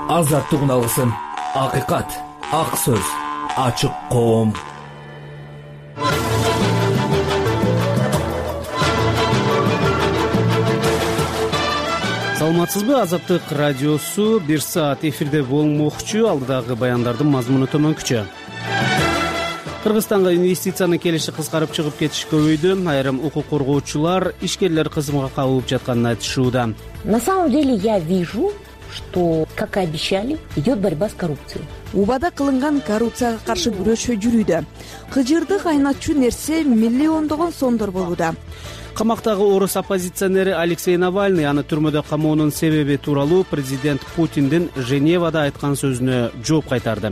азаттык алгысым, акыйкат, ак сөз, ачык коом. Саламатсызбы? Азаттык радиосу 1 саат эфирде болмокчу. Алдыдагы баяндардын мазмуну төмөнкүчө. Кыргызстанга инвестицияны келиши кыскарып чыгып кетиш көбөйдү. Айрым укук коргоочулар ишкерлер кызматка кабылып жатканын айтышууда. На самом деле я вижу, что, как и обещали, идет борьба с коррупцией. Убада кылынган коррупцияга каршы күрөшүү жүрүүдө. Кыжырды кайнатчу нерсе миллиондогон сомдор болууда. Камактагы орус оппозиционери Алексей Навальный аны түрмөдө камоонун себеби тууралуу президент Путиндин Женевада айткан сөзүнө жооп кайтарды.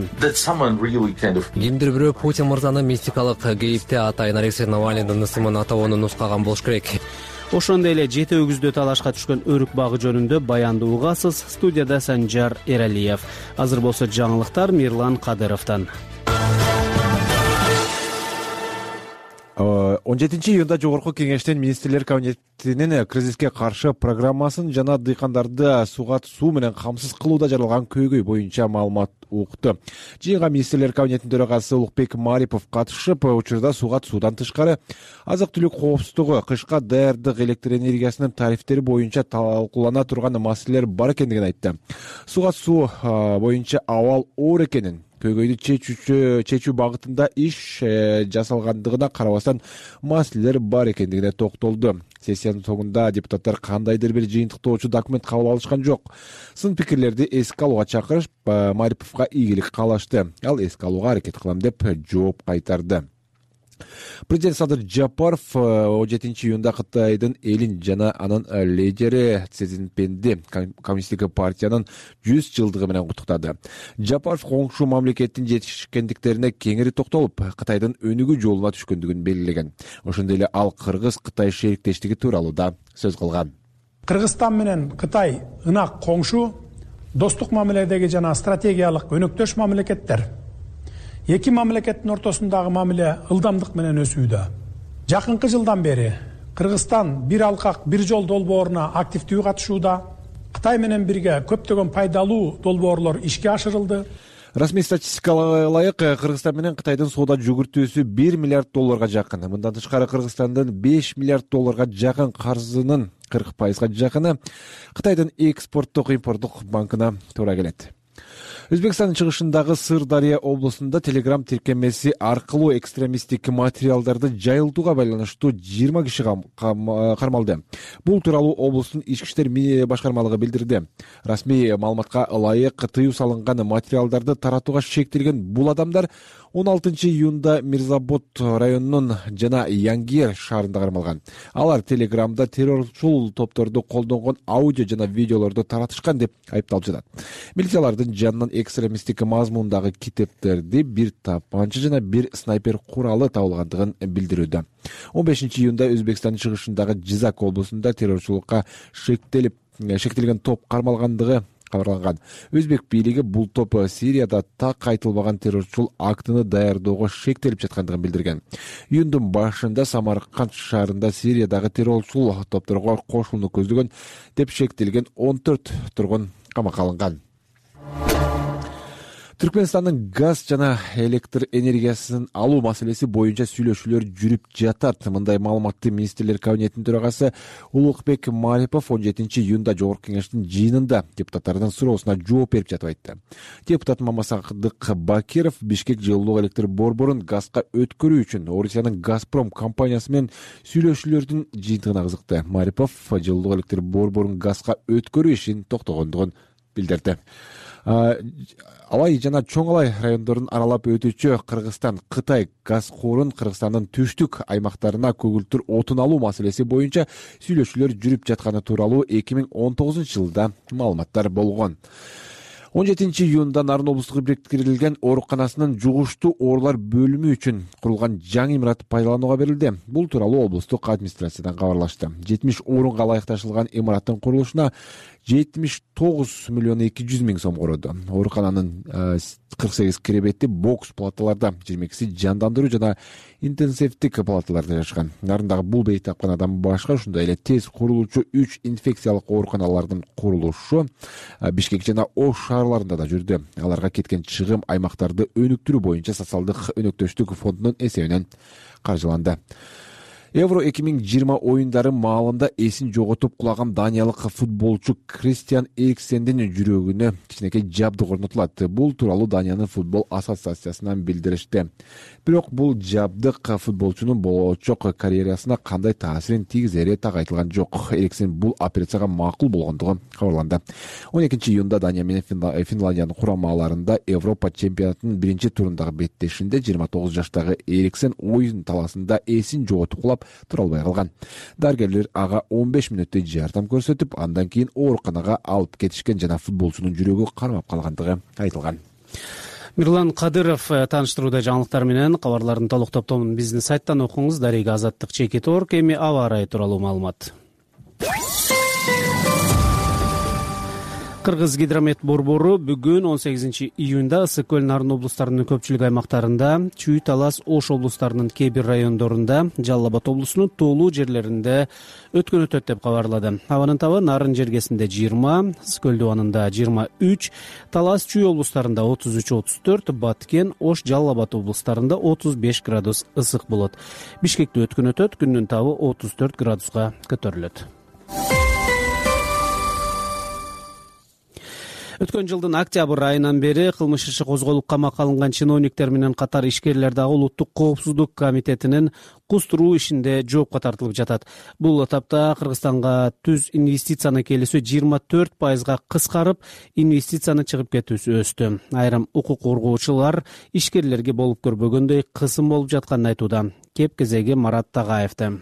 Кимдир бирөө Путин мырзаны мистикалык кейипте атайын Алексей Навальныйдын ысымын атабоону нускаган болуш керек. Ошондой эле жети өгүздө талашка түшкөн өрүк багы жөнүндө баянды угасыз. Студияда Санжар Эралиев. Азыр болсо жаңылыктар Мирлан Кадыровдон. 17-июнда Жогорку кеңештен министрлер кабинетинин кризиске каршы программасын жана дыйкандарды суу менен камсыз кылууда жаралган көйгөй боюнча маалымат укту. Жыйынга министрлер кабинетинин төрагасы Улукбек Марипов катышып, учурда суудан тышкары азык-түлүк коопсуздугу, кышка даярдык, электр энергиясынын тарифтери боюнча талкуулана турган маселелер бар экендигин айтты. Суу боюнча абал оор экенин, көйгөйдү чечүү багытында иш жасалгандыгына карабастан маселелер бар экендигине токтолду. Сессиянын соңунда депутаттар кандайдыр бир жыйынтыктоочу документ кабыл алышкан жок. Сын пикирлерди эске алууга чакырып, Мариповго ийгилик каалашты. Ал эске алууга аракет кылам деп жооп кайтарды. Президент Садыр Жапаров 17-июнда Кытайдын элин жана анын лидери Си Цзиньпинди Коммунисттик партиянын 100 жылдыгы менен куттуктады. Жапаров коңшу мамлекеттин жетишкендиктерине кеңири токтолуп, Кытайдын өнүгүү жолуна түшкөндүгүн белгилеген. Ошондой эле ал Кыргыз-Кытай шериктештиги тууралуу да сөз кылган. Кыргызстан менен Кытай ынак коңшу, достук мамиледеги жана стратегиялык өнөктөш мамлекеттер. Эки мамлекеттин ортосундагы мамиле ылдамдык менен өсүүдө. Жакынкы жылдан бери Кыргызстан бир алкак, бир жол долбооруна активдүү катышууда. Кытай менен бирге көптөгөн пайдалуу долбоорлор ишке ашырылды. Расмий статистикага ылайык Кыргызстан менен Кытайдын соода жүгүртүүсү 1 миллиард долларга жакын. Мындан тышкары Кыргызстандын 5 миллиард долларга жакын карзынын 40%га жакыны Кытайдын экспорттук-импорттук банкына туура келет. Өзбекстандын чыгышындагы Сырдария облусунда Telegram тиркемеси аркылуу экстремисттик материалдарды жайылтууга байланыштуу 20 киши кармалды. Бул тууралуу облустун ички иштер башкармалыгы билдирди. Расмий маалыматка ылайык тыюу салынган материалдарды таратууга шектелген бул адамдар 16-июнда Мирзабод районунун жана Янгер шаарында кармалган. Алар Телеграмда террорчул топторду колдонгон аудио жана видеолорду таратышкан деп айыпталып жатат. Милициялардын жанынан экстремисттик мазмундагы китептерди, бир тапанча жана бир снайпер куралы табылгандыгын билдирүүдө. 15-июнда Өзбекстандын чыгышындагы Жизак облусунда террорчулукка шектелген топ кармалгандыгы кабарланган. Өзбек бийлиги бул топ Сирияда так айтылбаган террорчул актыны даярдоого шектелип жаткандыгын билдирген. Июндун башында Самарканд шаарында Сириядагы террорчул топторго кошулууну көздөгөн деп шектелген 14 тургун камакка алынган. Түркмөнстандын газ жана электр энергиясын алуу маселеси боюнча сүйлөшүүлөр жүрүп жатат. Мындай маалыматты министрлер кабинетинин төрагасы Улукбек Марипов 17-июнда Жогорку кеңештин жыйынында депутаттардын суроосуна жооп берип жатып айтты. Депутат Мамасакдык Бакиров Бишкек жылуулук электр борборун газга өткөрүү үчүн Орусиянын Газпром компаниясы менен сүйлөшүүлөрдүн жыйынтыгына кызыкты. Марипов жылуулук электр борборун газга өткөрүү ишин токтогондугун билдирди. Алай жана Чоң Алай райондорун аралап өтүүчү Кыргызстан Кытай газ корун Кыргызстандын түштүк аймактарына көгүлтүр отун алуу маселеси боюнча сүйлөшүүлөр жүрүп жатканы тууралуу 2019-жылда маалыматтар болгон. 17-июнда Нарын облустук бириктирилген ооруканасынын жугуштуу оорулар бөлүмү үчүн курулган жаңы имарат пайдаланууга берилди. Бул тууралуу облустук администрациядан кабарлашты. 70 орунга ылайыкташылган имараттын курулушуна 79 миллион 200 миң сом короду. Оорукананын 48 киребети бокс палаталарда, 22си жандандыруу жана интенсивдик палаталарда жашаган. Нарындагы бул бейт тапканадан башка ошондой эле тез курулуучу 3 инфекциялык ооруканалардын курулушу Бишкек жана Ош шаарларында да жүрдү. Аларга кеткен чыгым аймактарды өнүктүрүү боюнча социалдык өнөктөштүк фондунун эсебинен каржыланды. Евро 2020 оюндары маалында эсин жоготуп кулаган даниялык футболчу Кристиан Эриксендин жүрөгүнө кичинекей жабдык орнотулат. Бул тууралуу Даниянын футбол ассоциациясынан билдиришти. Бирок бул жабдык футболчунун болочок карьерасына кандай таасирин тийгизери так айтылган жок. Эриксен бул операцияга макул болгондугу кабарланды. 12-июнда Дания менен Финляндиянын курамаларында Европа чемпионатынын биринчи турундагы беттешинде 29 жаштагы Эриксен оюн таласында эсин жоготуп кулап тура албай калган. Дарыгерлер ага 15 мүнөттөй жардам көрсөтүп, андан кийин ооруканага алып кетишкен жана футболчунун жүрөгү кармап калгандыгы айтылган. Мирлан Кадыров тааныштырууда жаңылыктар менен. Кабарлардын толук топтомун биздин сайттан окуңуз. Дарыга Азаттык Чекит Орг. Эми аба ырайы тууралуу маалымат. Кыргыз гидромет борбору бүгүн 18-июнда ысык көл Нарын облустарынын көпчүлүк аймактарында, Чүй, Талас, Ош облустарынын кээ бир райондорунда, Жалал Абад облусунун тоолуу жерлеринде өткөн өтөт деп кабарлады. Абанын табы Нарын жергесинде 20, ысык көл дубанында 23, Талас, Чүй облустарында 33-34, Баткен, Ош, Жалал Абад облустарында 35 градус ысык болот. Бишкекте өткөн өтөт, күндүн табы 34 градуска көтөрүлөт. Өткөн жылдын октябрь айынан бери кылмыш иши козголуп камакка алынган чиновниктер менен катар ишкерлер дагы Улуттук коопсуздук комитетинин кустуруу ишинде жоопко тартылып жатат. Бул этапта Кыргызстанга түз инвестицияны келүүсү 24% кыскарып, инвестицияны чыгып кетүүсү өстү. Айрым укук коргоочулар ишкерлерге болуп көрбөгөндөй кысым болуп жатканын айтууда. Кеп кезеги Марат Тагаевди.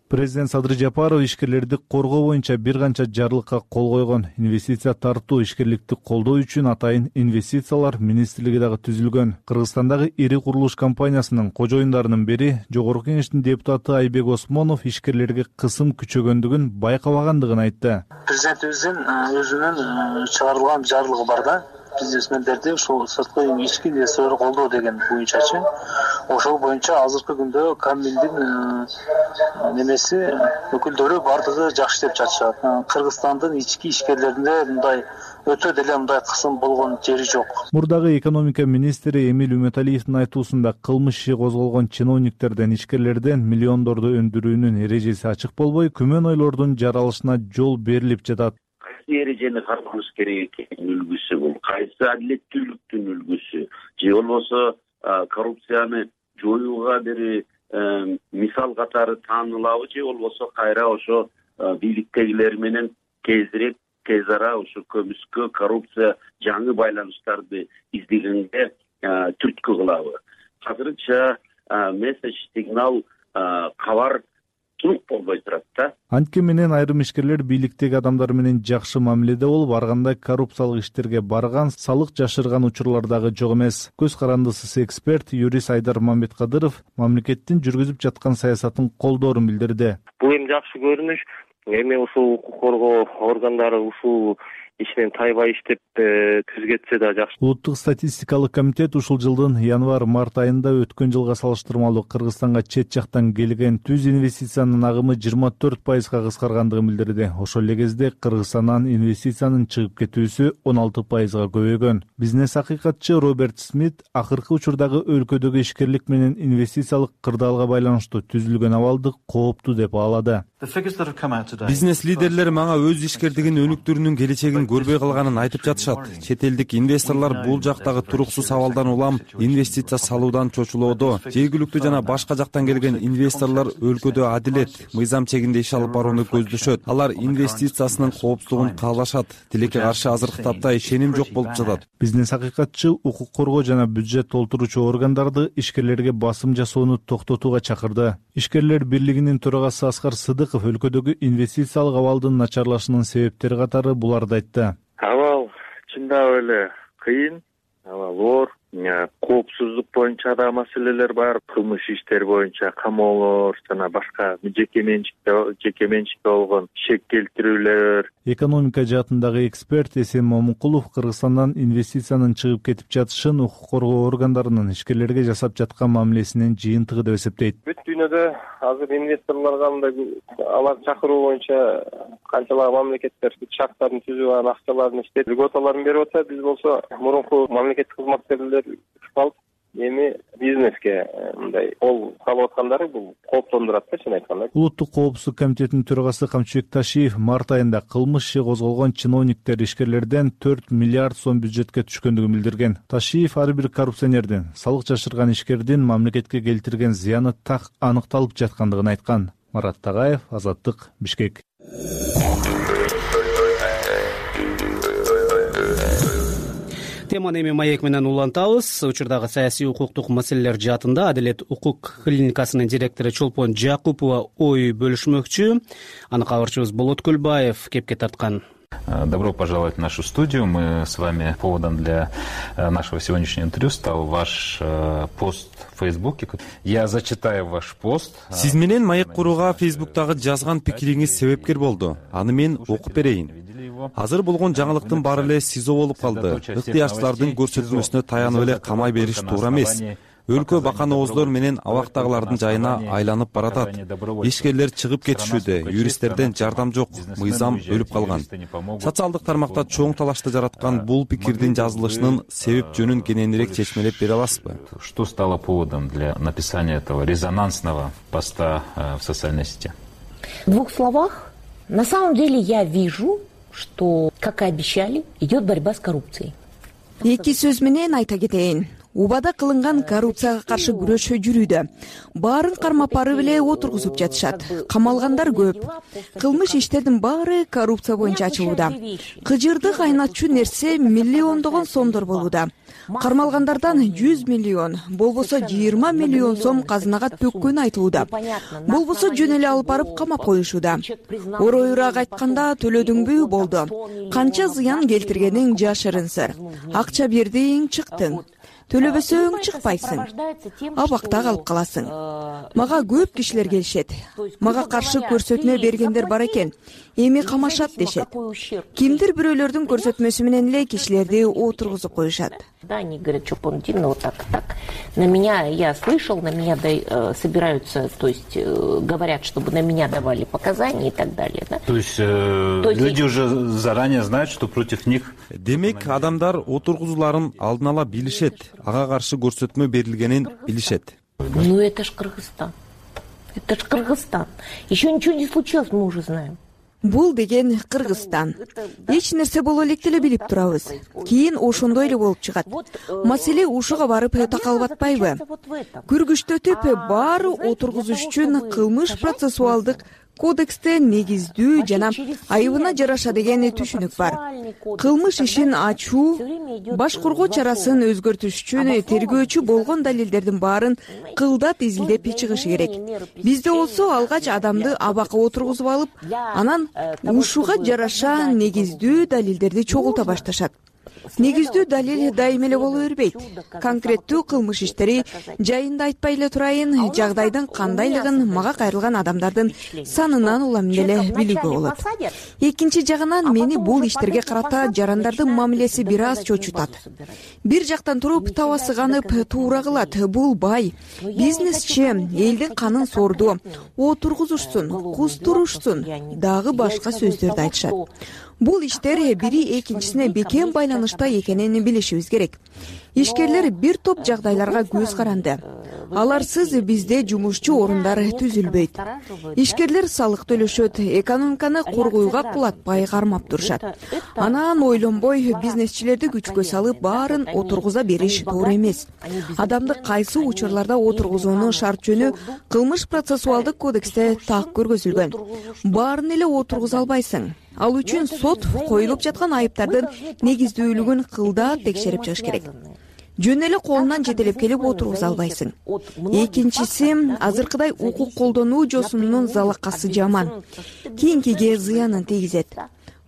Президент Садыр Жапаров ишкерлерди коргоо боюнча бир канча жарлыкка кол койгон. Инвестиция тартуу, ишкерликти колдоо үчүн атайын инвестициялар министрлиги дагы түзүлгөн. Кыргызстандагы ири курулуш компаниясынын кожоюндарынын бири Жогорку Кеңештин депутаты Айбек Осмонов ишкерлерге кысым күчөгөндүгүн байкабагандыгын айтты. Президентибиздин өзүнүн чыгарылган жарлыгы бар да. Бизнесмендерди ушул сырткы ички инвесторлорду колдоо деген боюнчачы. Ошол боюнча азыркы күндө Камилдин немеси өкүлдөрү бардыгы жакшы деп жатышат. Кыргызстандын ички ишкерлеринде мындай өтө деле мындай кысым болгон жери жок. Мурдагы экономика министри Эмиль Үмөталиевдин айтуусунда кылмыш иши козголгон чиновниктерден, ишкерлерден миллиондорду өндүрүүнүн эрежеси ачык болбой, күмөн ойлордун жаралышына жол берилип жатат. Эрежени кармаш керек экенин үлгүсү бул. Кайсы адилеттүүлүктүн үлгүсү же болбосо коррупцияны жоюуга бир мисал катары таанылабы же болбосо кайра ошо бийликтегилер менен тез ара ушу көмүскө, коррупция, жаңы байланыштарды издегенге түрткү кылабы. Азырынча месседж, сигнал, кабар турук болбой турат да. Антке менен айрым ишкерлер бийликтеги адамдар менен жакшы мамиледе болуп, арганда коррупциялык иштерге барган, салык жашырган учурлар дагы жок эмес. Көз карандысыз эксперт, юрист Айдар Мамбеткадыров мамлекеттин жүргүзүп жаткан саясатын колдоорун билдирди. Бул эми жакшы көрүнүш. Эми ушул укук коргоо органдары ушул ишинен тайбай иштеп түз кетсе да жакшы. Улуттук статистикалык комитет ушул жылдын январь-март айында өткөн жылга салыштырмалуу Кыргызстанга чет жактан келген түз инвестициянын агымы 24% кыскаргандыгын билдирди. Ошол эле кезде Кыргызстандан инвестициянын чыгып кетүүсү 16% көбөйгөн. Бизнес акыйкатчы Роберт Смит акыркы учурдагы өлкөдөгү ишкерлик менен инвестициялык кырдаалга байланыштуу түзүлгөн абалды кооптуу деп баалады. Бизнес лидерлери мага өз ишкердигин өнүктүрүүнүн келечегин көрбөй калганын айтып жатышат. Чет элдик инвесторлор бул жактагы туруксуз абалдан улам инвестиция салуудан чочулоодо. Жергиликтүү жана башка жактан келген инвесторлор өлкөдө адилет, мыйзам чегинде иш алып барууну көздөшөт. Алар инвестициясынын коопсуздугун каалашат. Тилекке каршы азыркы тапта ишеним жок болуп жатат. Бизнес акыйкатчы укук коргоо жана бюджет толтуруучу органдарды ишкерлерге басым жасоону токтотууга чакырды. Ишкерлер бирлигинин төрагасы Аскар Сыдыков өлкөдөгү инвестициялык абалдын начарлашынын себептери катары буларды айтты. Абал чындап эле кыйын, абал оор. коопсуздук боюнча да маселелер бар, кылмыш иштер боюнча камоолор жана башка жеке менчикке болгон шек келтирүүлөр. Экономика жаатындагы эксперт Эсен Момункулов Кыргызстандан инвестициянын чыгып кетип жатышын укук коргоо органдарынын ишкерлерге жасап жаткан мамилесинин жыйынтыгы деп эсептейт. Бүт дүйнөдө азыр инвесторлорго мындай алар чакыруу боюнча канчалагы мамлекеттер шарттарын түзүп анан акчаларын иштетип льготаларын берип атат. Биз болсо мурунку мамлекеттик кызматкерлер алып эми бизнеске мындай кол салып аткандары бул кооптондурат да, чын айтканда. Улуттук коопсуздук комитетинин төрагасы Камчыбек Ташиев март айында кылмыш иши козголгон чиновниктер ишкерлерден 4 миллиард сом бюджетке түшкөндүгүн билдирген. Ташиев ар бир коррупционердин, салык жашырган ишкердин мамлекетке келтирген зыяны так аныкталып жаткандыгын айткан. Марат Тагаев, Азаттык, Бишкек. Теманы эми маек менен улантабыз. Учурдагы саясий укуктук маселелер жаатында Адилет укук клиникасынын директору Чолпон Жакупова ой бөлүшмөкчү. Аны кабарчыбыз Болот Көлбаев кепке тарткан. Добро пожаловать в нашу студию. Мы с вами поводом для нашего сегодняшнего интервью стал ваш пост в Фейсбуке. Я зачитаю ваш пост. Сиз менен маек курууга Фейсбуктагы жазган пикириңиз себепкер болду. Аны мен окуп берейин. Азыр болгон жаңылыктын баары эле СИЗО болуп калды. Ыктыярчылардын көрсөтмөсүнө таянып эле камай бериш туура эмес. Өлкө бакан ооздор менен абактагылардын жайына айланып баратат. Ишкерлер чыгып кетишүүдө, юристтерден жардам жок, мыйзам өлүп калган. Социалдык тармакта чоң талашты жараткан бул пикирдин жазылышынын себеп жөнүн кененирээк чечмелеп бере аласызбы? Что стало поводом для написания этого резонансного поста в социальной сети? В двух словах, на самом деле я вижу, что, как и обещали, идет борьба с коррупцией. Эки сөз менен айта кетейин. Убада кылынган коррупцияга каршы күрөшүү жүрүүдө. Баарын кармап барып эле отургузуп жатышат. Камалгандар көп. Кылмыш иштердин баары коррупция боюнча ачылууда. Кыжырды кайнатчу нерсе миллиондогон сомдор болууда. Кармалгандардан 100 миллион, болбосо 20 миллион сом казынага төккөнү айтылууда. Болбосо жөн эле алып барып камап коюшууда. Ороюраак айтканда төлөдүңбү болду. Канча зыян келтиргениң жашырын сыр. Акча бердиң, чыктың. Төлөбөсөң чыкпайсың. Абакта калып каласың. Мага көп кишилер келишет. Мага каршы көрсөтмө бергендер бар экен. Эми камашат дешет. Кимдир бирөөлөрдүн көрсөтмөсү менен эле кишилерди отургузуп коюшат. Да, они говорят, что Понтин, вот так. На меня, я слышал, на меня собираются, то есть говорят, чтобы на меня давали показания и так далее. Да? То есть люди уже заранее знают, что против них... Демек, адамдар отургузууларын алдын ала билишет, ага каршы көрсөтмө берилгенин билишет. Ну это ж Кыргызстан. Это ж Кыргызстан. Еще ничего не случилось, мы уже знаем. Бул деген Кыргызстан. Эч нерсе боло электе эле билип турабыз. Кийин ошондой эле болуп чыгат. Маселе ушуга барып такалып атпайбы? Күргүчтөтүп баары отургузуш үчүн кылмыш процессуалдык кодексте негиздүү жана айыбына жараша деген түшүнүк бар. Кылмыш ишин ачуу, башкаруу чарасын өзгөртүш үчүн тергөөчү болгон далилдердин баарын кылдат изилдеп чыгышы керек. Бизде болсо алгач адамды абакка отургузуп алып, анан ушуга жараша негиздүү далилдерди чогулта башташат. Негиздүү далил дайым эле боло бербейт. Конкреттүү кылмыш иштери жайында айтпай эле турайын, жагдайдын кандайлыгын мага кайрылган адамдардын санынан улам эле билүүгө болот. Экинчи жагынан мени бул иштерге карата жарандардын мамилеси бир аз чочутат. Бир жактан туруп таба сыганып туура кылат. Бул бай, бизнесчи, элдин канын сорду, отургузушсун, кустурушсун, дагы башка сөздөрдү айтышат. Бул иштер бири экинчисине бекем байланышта экенин билишибиз керек. Ишкерлер бир топ жагдайларга көз каранды. Аларсыз бизде жумушчу орундар түзүлбөйт. Ишкерлер салык төлөшөт, экономиканы коргоюга кулатпай кармап турушат. Анан ойлонбой бизнесчилерди күчкө салып баарын отургуза бериш туура эмес. Адамды кайсы учурларда отургузуунун шарт жөнү кылмыш процессуалдык кодексте так көргөзүлгөн. Баарын эле отургуза албайсың. Ал үчүн сот коюлуп жаткан айыптардын негиздүүлүгүн кылдат текшерип чыгыш керек. Жөн эле колунан жетелеп келип отургуза албайсың. Экинчиси, азыркыдай укук колдонуу жосунунун залакасы жаман. Кийинкиге зыянын тийгизет.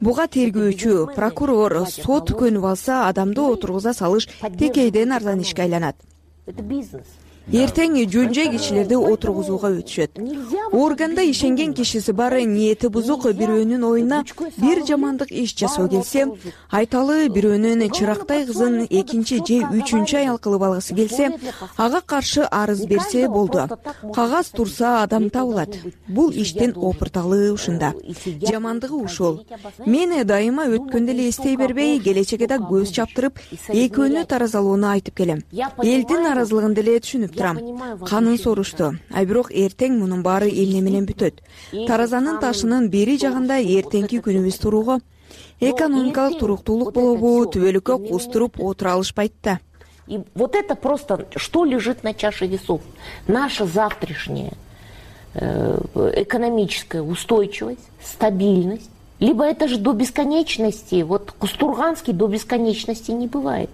Буга тергөөчү, прокурор, сот көнүп алса, адамды отургуза салыш текейден арзан ишке айланат. Это бизнес. Эртең жөн-жай кишилерди отургузууга өтүшөт. Органда ишенген кишиси бар, ниети бузук бирөөнүн оюна бир жамандык иш жасоо келсе, айталы бирөөнүн чырактай кызын экинчи же үчүнчү аял кылып алгысы келсе, ага каршы арыз берсе болду. Кагаз турса адам табылат. Бул иштин опурталы ушунда. Жамандыгы ушул. Мен дайыма өткөндө эле эстей бербей, келечекке да көз чаптырып, экөөнү таразалоону айтып келем. Элдин наразылыгын деле түшүнүп турам. Канын сорушту. Бирок эртең мунун баары эмне менен бүтөт? Таразанын ташынын бери жагында эртеңки күнүбүз туруго, экономикалык туруктуулук болобу, түбөлүккө кустуруп отура алышпайт да. И вот это просто, что лежит на чаше весов. Наша завтрашняя экономическая устойчивость, стабильность. Либо это же до бесконечности. Вот Кустурганский до бесконечности не бывает.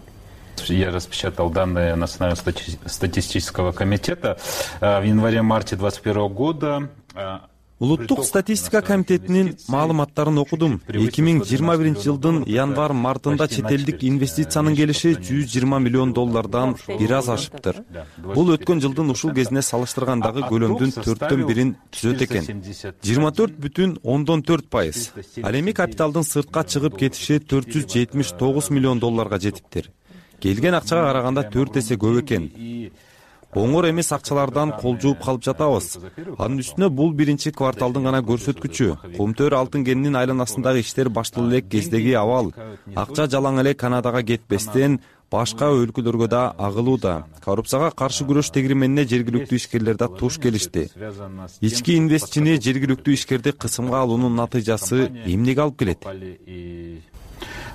Я распечатал данные Национального статистического комитета. В январе-марте 2021 года Улуттук статистика комитетинин маалыматтарын окудум. 2021 жылдын январ-мартында чет элдик инвестициянын келиши $120 миллион бир аз ашыптыр. Бул өткөн жылдын ушул кезине салыштыргандагы көлөмдүн 1/4 түзөт экен. 24,4%. Ал эми капиталдын сыртка чыгып кетиши $479 миллион жетиптир. Келген акчага караганда 4 эсе көп экен. Оңор эмес акчалардан кол жууп калып жатабыз. Анын үстүнө бул биринчи кварталдын гана көрсөткүчү. Кумтөр алтын кенинин айланасындагы иштер башталып элек кездеги абал. Акча жалаң эле Канадага кетпестен башка өлкөлөргө да агылууда. Коррупцияга каршы күрөш тегеременине жергиликтүү ишкерлер да туш келишти. Ички инвестчини жергиликтүү ишкерди кысымга алуунун натыйжасы эмнеге алып келет?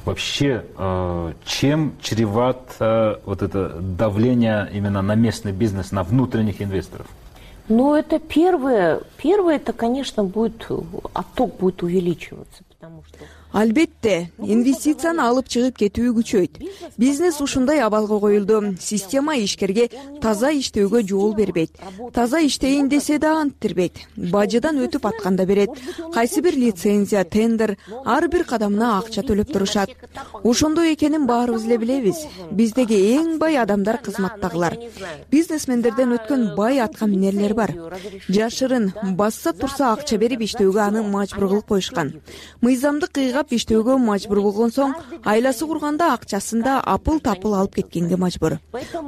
Вообще, чем чревато вот это давление именно на местный бизнес, на внутренних инвесторов? Ну, это первое, это, конечно, отток будет увеличиваться, потому что... Албетте, инвестицияны алып чыгып кетүү күчөйт. Бизнес ушундай абалга коюлду. Система ишкерге таза иштөөгө жол бербейт. Таза иштейин десе да анттырбейт. Бажыдан өтүп атканда берет. Кайсы бир лицензия, тендер, ар бир кадамына акча төлөп турушат. Ошондой экенин баарыбыз эле билебиз. Биздеги эң бай адамдар кызматтагылар. Бизнесмендерден өткөн бай атка минерлер бар. Жашырын, басса турса акча берип иштөөгө аны мажбур кылып коюшкан. Мыйзамды кыйгап иштөөгө мажбур болгон соң, айласы курганда акчасында апыл-тапыл алып кеткенге мажбур.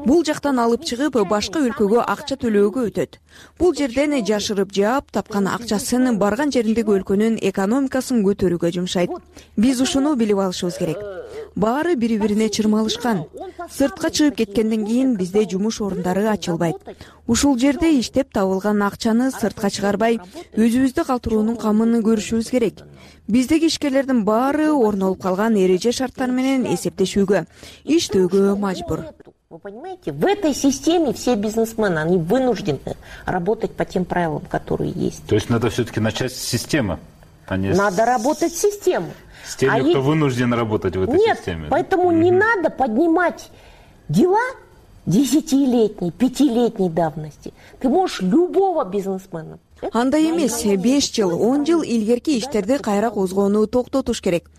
Бул жактан алып чыгып, башка өлкөгө акча төлөөгө өтөт. Бул жерден жашырып жаап тапкан акчасын барган жериндеги өлкөнүн экономикасын көтөрүүгө жумшайт. Биз ушуну билип алышыбыз керек. Баары бири-бирине чырмалышкан. Сыртка чыгып кеткенден кийин бизде жумуш орундары ачылбайт. Ушул жерде иштеп табылган акчаны сыртка чыгарбай, өзүбүздү калтыруунун камын көрүшүбүз керек. Биздеги ишкерлердин баары орнолуп калган эреже шарттар менен эсептешүүгө, иштөөгө мажбур. Вы понимаете, в этой системе все бизнесмены, они вынуждены работать по тем правилам, которые есть. То есть надо все-таки начать с системы, а не надо работать с системой. С теми, кто вынужден работать в этой системе. Нет, поэтому не надо поднимать дела 10-летней, 5-летней давности. Ты можешь любого бизнесмена. Андай эмес, 5 жыл, 10 жыл илгерки иштерди кайра козгоону токтотуш керек.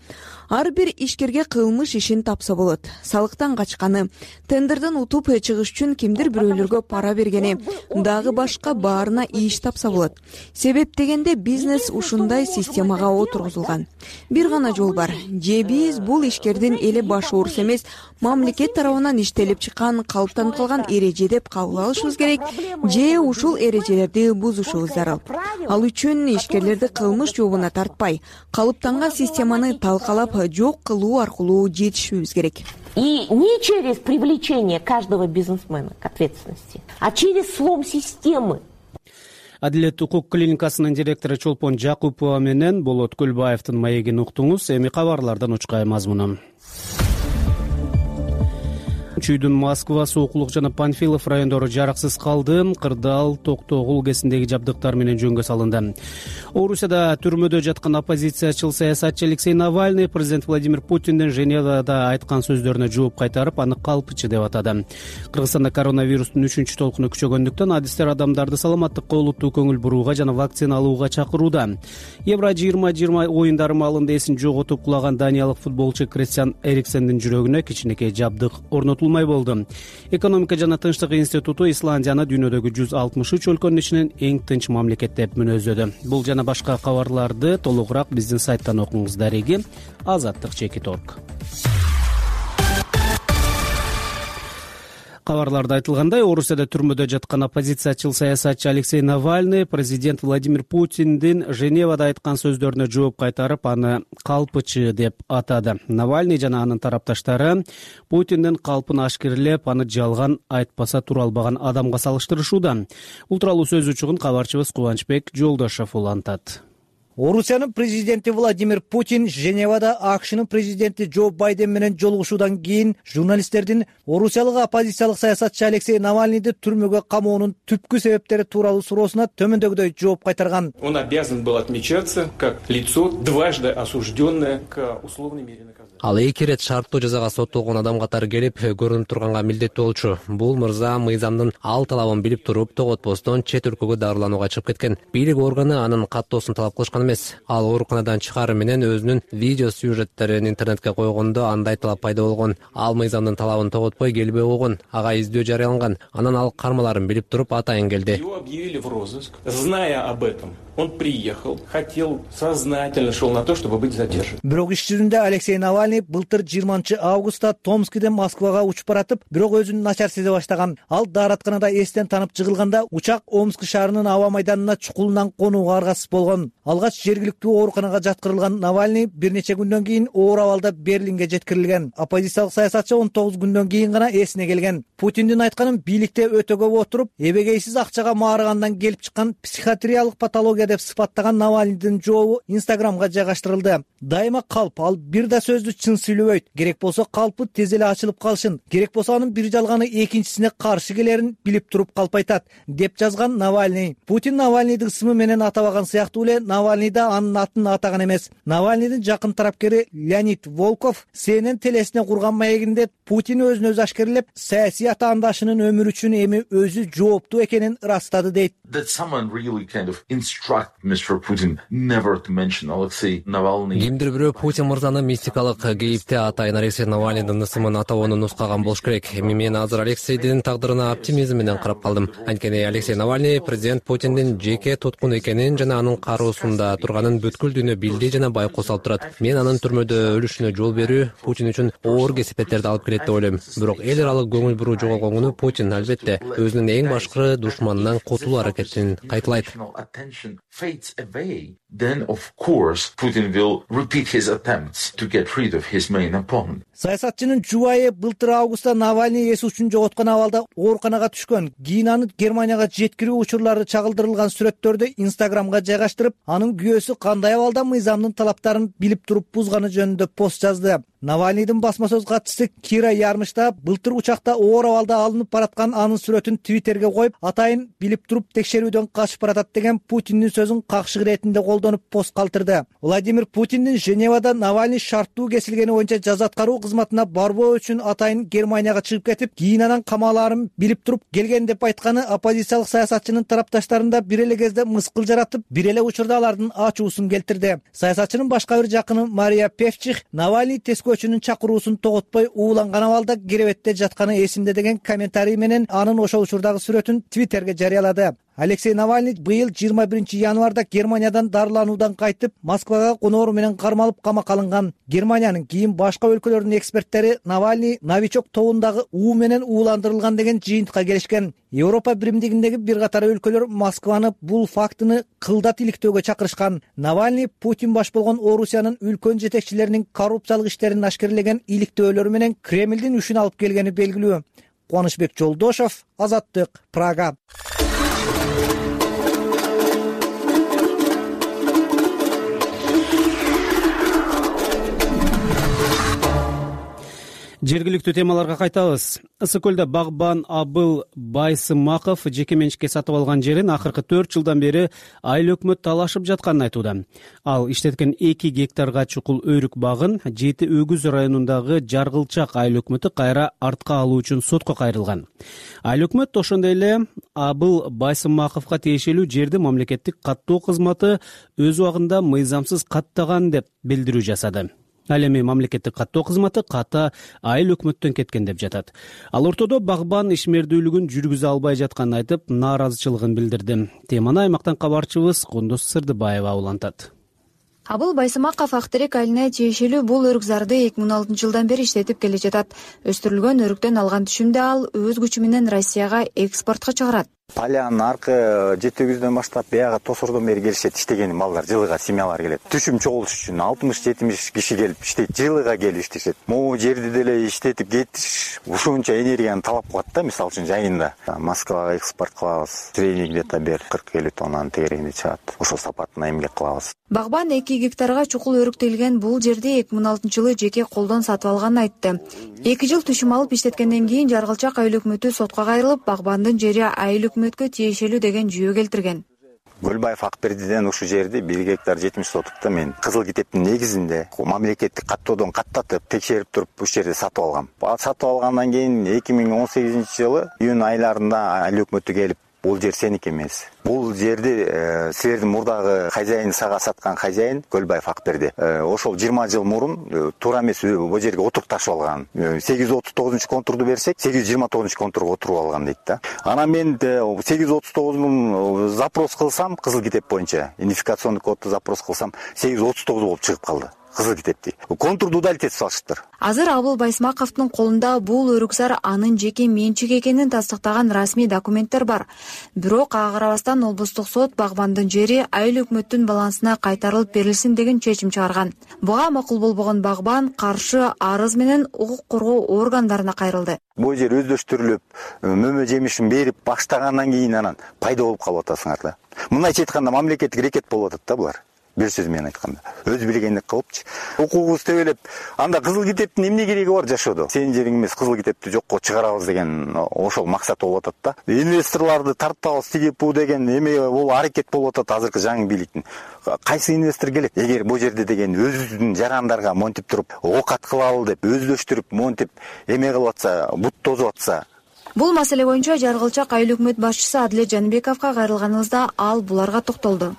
Ар бир ишкерге кылмыш ишин тапса болот. Салыктан качканы, тендерден утуп чыгыш үчүн кимдир бирөөлөргө пара бергени, дагы башка баарына иш тапса болот. Себеп дегенде бизнес ушундай системага отургузулган. Бир гана жол бар. Же биз бул ишкердин эли баш ооруз эмес, мамлекет тарабынан иштелип чыккан, калыптанып калган эреже деп кабыл алышыбыз керек, же ушул эрежелерди бузушубуз зарыл. Ал үчүн ишкерлерди кылмыш жообуна тартпай, калыптанган системаны талкалап жок кылуу аркылуу жетишүүбүз керек. И не через привлечение каждого бизнесмена к ответственности, а через слом системы. Адилет укук клиникасынын директору Чолпон Жакупова менен Болот Көлбаевдин маегин уктуңуз. Эми кабарлардан учкай мазмуну. Чүйдүн Москва, Сокулук жана Панфилов райондору жараксыз калды. Кырдаал, Токтогул КСиндеги жабдыктар менен жөнгө салынды. Орусияда түрмөдө жаткан оппозициячыл саясатчы Алексей Навальный президент Владимир Путиндин Женевада айткан сөздөрүнө жооп кайтарып, аны калпычы деп атады. Кыргызстанда коронавирустун 3-чү толкуну күчөгөндүктөн адистер адамдарды саламаттыкка олуттуу көңүл бурууга жана вакцина алууга чакырууда. Евро 2020 оюндары маалында эсин жоготуп кулаган даниялык футболчу Кристиан Эриксендин жүрөгүнө кичинекей жабдык орнотулмай болду. Экономика жана тынчтык институту Исландияны дүйнөдөгү 163 өлкөнүн ичинен эң тынч мамлекет деп мүнөздөдү. Бул жана башка кабарларды толугураак биздин сайттан окуңуз. Дареги Азаттык.org. Кабарларда айтылгандай, Орусияда түрмөдө жаткан оппозициячыл саясатчы Алексей Навальный президент Владимир Путиндин Женевада айткан сөздөрүнө жооп кайтарып, аны калпычы деп атады. Навальный жана анын тарапташтары Путиндин калпын ашкерлеп, аны жалган, айтпаса тура албаган адамга салыштырышууда. Бул тууралуу сөз учугун кабарчыбыз Кубанычбек Жолдошов улантат. Орусиянын президенти Владимир Путин Женевада АКШнын президенти Джо Байден менен жолугушуудан кийин журналисттердин орусиялык оппозициялык саясатчы Алексей Навальныйды түрмөгө камоонун түпкү себептери тууралуу суроосуна төмөндөгүдөй жооп кайтарган. Он обязан был отмечаться как лицо, дважды осужденное к условной мере наказания. Ал эки ирет шарттуу жазага соттолгон адам катары келип көрүнүп турганга милдеттүү болчу. Бул мырза мыйзамдын ал талабын билип туруп, тоготпостон чет өлкөгө дарыланууга чыгып кеткен. Бийлик органы анын каттоосун талап кылышкан эмес. Ал ооруканадан чыгаары менен өзүнүн видео сюжеттерин интернетке койгондо андай талап пайда болгон. Ал мыйзамдын талабын тоготпой келбей койгон. Ага издөө жарыяланган. Анан ал кармаларын билип туруп атайын келди. Его объявили в розыск, зная об этом. Он приехал, хотел, сознательно шел на то, чтобы быть задержан. Бирок иш жүзүндө Алексей Навальный былтыр 20 августта Томскиден Москвага учуп баратып, бирок өзүн начар сезе баштаган. Ал дааратканада эстен танып жыгылганда учак Омск шаарынын аба майданына чукулунан конууга аргасыз болгон. Алгач жергиликтүү ооруканага жаткырылган Навальный бир нече күндөн кийин оор абалда Берлинге жеткирилген. Оппозициялык саясатчы 19 күндөн кийин гана эсине келген. Путиндин айтканын бийликте өтө көп отуруп, эбегейсиз акчага маарыгандан келип чыккан психиатриялык патология деп сыпаттаган Навальныйдын жообу Инстаграмга жайгаштырылды. Дайыма калп, ал бир да сөздү чын сүйлөбөйт. Керек болсо калпы тез эле ачылып калышын. Керек болсо анын бир жалганы экинчисине каршы келерин билип туруп калп айтат, деп жазган Навальный. Путин Навальныйды ысымы менен атабаган сыяктуу эле Навальный да анын атын атаган эмес. Навальныйдын жакын тарапкери Леонид Волков CNN телесине курган маегинде Путин өзүн өзү ашкерлеп, саясий атаандашынын өмүрү үчүн эми өзү жооптуу экенин ырастады дейт. Кимдир бирөө Путин мырзаны мистикалык кейипте атайын Алексей Навальныйдын ысымын атабоону нускаган болуш керек. Эми мен азыр Алексейдин тагдырына оптимизм менен карап калдым. Анткени Алексей Навальный президент Путиндин жеке туткун экенин жана анын кароосунда турганын бүткүл дүйнө билди жана байкоо салып турат. Мен анын түрмөдө өлүшүнө жол берүү Путин үчүн оор кесипеттерди алып келет деп ойлойм. Бирок эл аралык көңүл буруу жоголгон күнү Путин албетте өзүнүн эң башкы душманынан кутулуу аракетин кайталайт. Then of course Putin will repeat his attempts to get rid of his main opponent. Саясатчынын жубайы былтыр августта Навальный эс учун жоготкон абалда ооруканага түшкөн. Кийин аны Германияга жеткирүү учурлары чагылдырылган сүрөттөрдү Инстаграмга жайгаштырып, анын күйөөсү кандай абалда мыйзамдын талаптарын билип туруп бузганы жөнүндө пост жазды. Навальныйдын басма сөз катчысы Кира Ярмышта былтыр учакта оор абалда алынып бараткан анын сүрөтүн Твиттерге коюп, атайын билип туруп текшерүүдөн качып баратат деген Путиндин сөзүн какшык иретинде колдонуп пост калтырды. Владимир Путиндин Женевада Навальный шарттуу кесилгени боюнча жаза аткаруу кызматына барбоо үчүн атайын Германияга чыгып кетип, кийин анан камалаарын билип туруп келген деп айтканы оппозициялык саясатчынын тарапташтарында бир эле кезде мыскыл жаратып, бир эле учурда алардын ачуусун келтирди. Саясатчынын башка бир жакыны Мария Певчих Навальный тескөөчүнүн чакыруусун тоготпой ууланган абалда керебетте жатканы эсимде деген комментарий менен анын ошол учурдагы сүрөтүн Твиттерге жарыялады. Алексей Навальный быйыл 21 январда Германиядан дарылануудан кайтып, Москвага коноору менен кармалып камакка алынган. Германиянын кийин башка өлкөлөрдүн эксперттери Навальный новичок тобундагы уу менен ууландырылган деген жыйынтыкка келишкен. Европа биримдигиндеги бир катар өлкөлөр Москваны бул фактыны кылдат иликтөөгө чакырышкан. Навальный Путин баш болгон Орусиянын үлкөн жетекчилеринин коррупциялык иштерин ашкерлеген иликтөөлөрү менен Кремлдин үчүн алып келгени белгилүү. Кубанычбек Жолдошов, Азаттык, Прага. Жергиликтүү темаларга кайтабыз. Ысык көлдө багбан Абыл Байсымаков жеке менчикке сатып алган жерин акыркы 4 жылдан бери айыл өкмөт талашып жатканын айтууда. Ал иштеткен 2 гектарга чукул өрүк багын Жети Өгүз районундагы Жаргылчак айыл өкмөтү кайра артка алуу үчүн сотко кайрылган. Айыл өкмөт ошондой эле Абыл Байсымаковго тиешелүү жерди мамлекеттик каттоо кызматы өз убагында мыйзамсыз каттаган деп билдирүү жасады. Ал эми мамлекеттик каттоо кызматы ката айыл өкмөттөн кеткен деп жатат. Ал ортодо багбан ишмердүүлүгүн жүргүзө албай жатканын айтып, нааразычылыгын билдирди. Теманы аймактан кабарчыбыз Кундуз Сырдыбаева улантат. Абыл Байсымаков Актерек айылына тиешелүү бул өрүк зарды 2006 жылдан бери иштетип келе жатат. Өстүрүлгөн өрүктөн алган түшүмдү ал өз күчү менен Россияга экспортко чыгарат. Полянын аркы Жети Өгүздөн баштап бияга Тосордон бери келишет, иштеген малдар, жылыга семьялар келет. Түшүм чогулуш үчүн 60-70 киши келип иштейт, жылыга келип иштешет. Могу жерди деле иштетип кетиш ушунча энергияны талап кылат да, мисалы үчүн жайында. Москвага экспорт кылабыз. Средний где-то бер 40-50 тоннанын тегерегинде чыгат. Ошол сапатына эмгек кылабыз. Багбан 2 гектарга чукул өрүктөлгөн бул жерди 2006 жылы жеке колдон сатып алганын айтты. 2 жыл түшүм алып иштеткенден кийин Жаргылчак айыл өкмөтү сотко кайрылып, багбандын жери айыл өкмөткө тиешелүү деген жүйө келтирген. Көлбаев Акбердиден ушу жерди 1 гектар 70 сотукта мен кызыл китептин негизинде мамлекеттик каттоодон каттатып, текшерип туруп ушул жерди сатып алгам. Сатып алгандан кийин 2018 жылы июнь айларында айыл өкмөтү келип, бул жер сеники эмес. Бул жерди силердин мурдагы хозяин сага саткан хозяин Көлбаев Акберди. Ошол 20 жыл мурун туура эмес бул жерге отурукташып алган. 839-контурду берсек, 829-контурга отуруп алган дейт да. Анан мен 839 запрос кылсам, кызыл китеп боюнча идентификационный кодду запрос кылсам, 839 болуп чыгып калды. Кызыл китепти. Контурду удалить салыштыр. Азыр Абыл Байсымаковдун колунда бул өрүкзар анын жеке менчик экенин тастыктаган расмий документтер бар. Бирок ага карабастан облустук сот багбандын жери айыл өкмөттүн балансына кайтарылып берилсин деген чечим чыгарган. Буга макул болбогон багбан каршы арыз менен укук коргоо органдарына кайрылды. Бул жер өздөштүрүлүп, мөмө жемишин берип баштагандан кийин анан пайда болуп калып атасыңар да. Мындайча айтканда мамлекеттик рекет болуп атат да булар. Бир сөз менен айтканда, өз билгендик кылыпчы. Укугубуз тебелеп, анда кызыл китептин эмне кереги бар жашоодо? Сенин жериң эмес, кызыл китепти жокко чыгарабыз деген ошол максат болуп атат да. Инвесторлорду тартабыз тигип бу деген эме бул аракет болуп атат азыркы жаңы бийликтин. Кайсы инвестор келет? Эгер бу жерде деген өзүбүздүн жарандарга монтип туруп, окат кылалы деп өздөштүрүп, монтип эме кылып атса, бут тозуп атса. Бул маселе боюнча Жаргылчак айыл өкмөт башчысы Адилет Жаныбековго кайрылганыбызда ал буларга токтолду.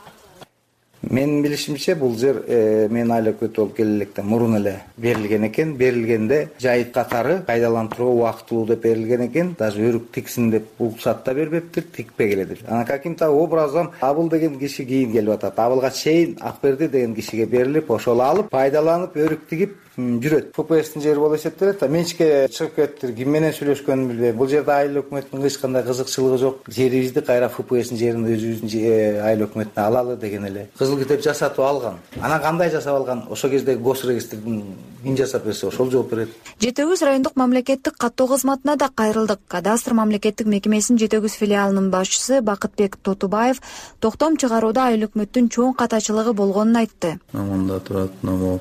Менин билишимче бул жер мен айыл өкмөт болуп келе электе мурун эле берилген экен. Берилгенде жайыт катары пайдалантууга убактылуу деп берилген экен. Даже өрүк тиксин деп уруксат да бербептир, тикпей келет. Анан каким-то образом Абыл деген киши кийин келип атат. Абылга чейин Акберди деген кишиге берилип, ошол алып, пайдаланып, өрүк тигип жүрөт. ФПСтин жери болуп эсептелет. Менчикке чыгып кетти. Ким менен сүйлөшкөнүн билбейм. Бул жерде айыл өкмөтүнүн эч кандай кызыкчылыгы жок. Жерибизди кайра ФПСтин жерин өзүбүздүн айыл өкмөтүнө алалы деген эле. Кызыл китеп жасатып алган. Анан кандай жасап алган? Ошо кездеги госрегистрдин ким жасап берсе, ошол жооп берет. Жети Өгүз райондук мамлекеттик каттоо кызматына да кайрылдык. Кадастр мамлекеттик мекемесинин Жети Өгүз филиалынын башчысы Бакытбек Тотубаев токтом чыгарууда айыл өкмөттүн чоң катачылыгы болгонун айтты. Мында турат,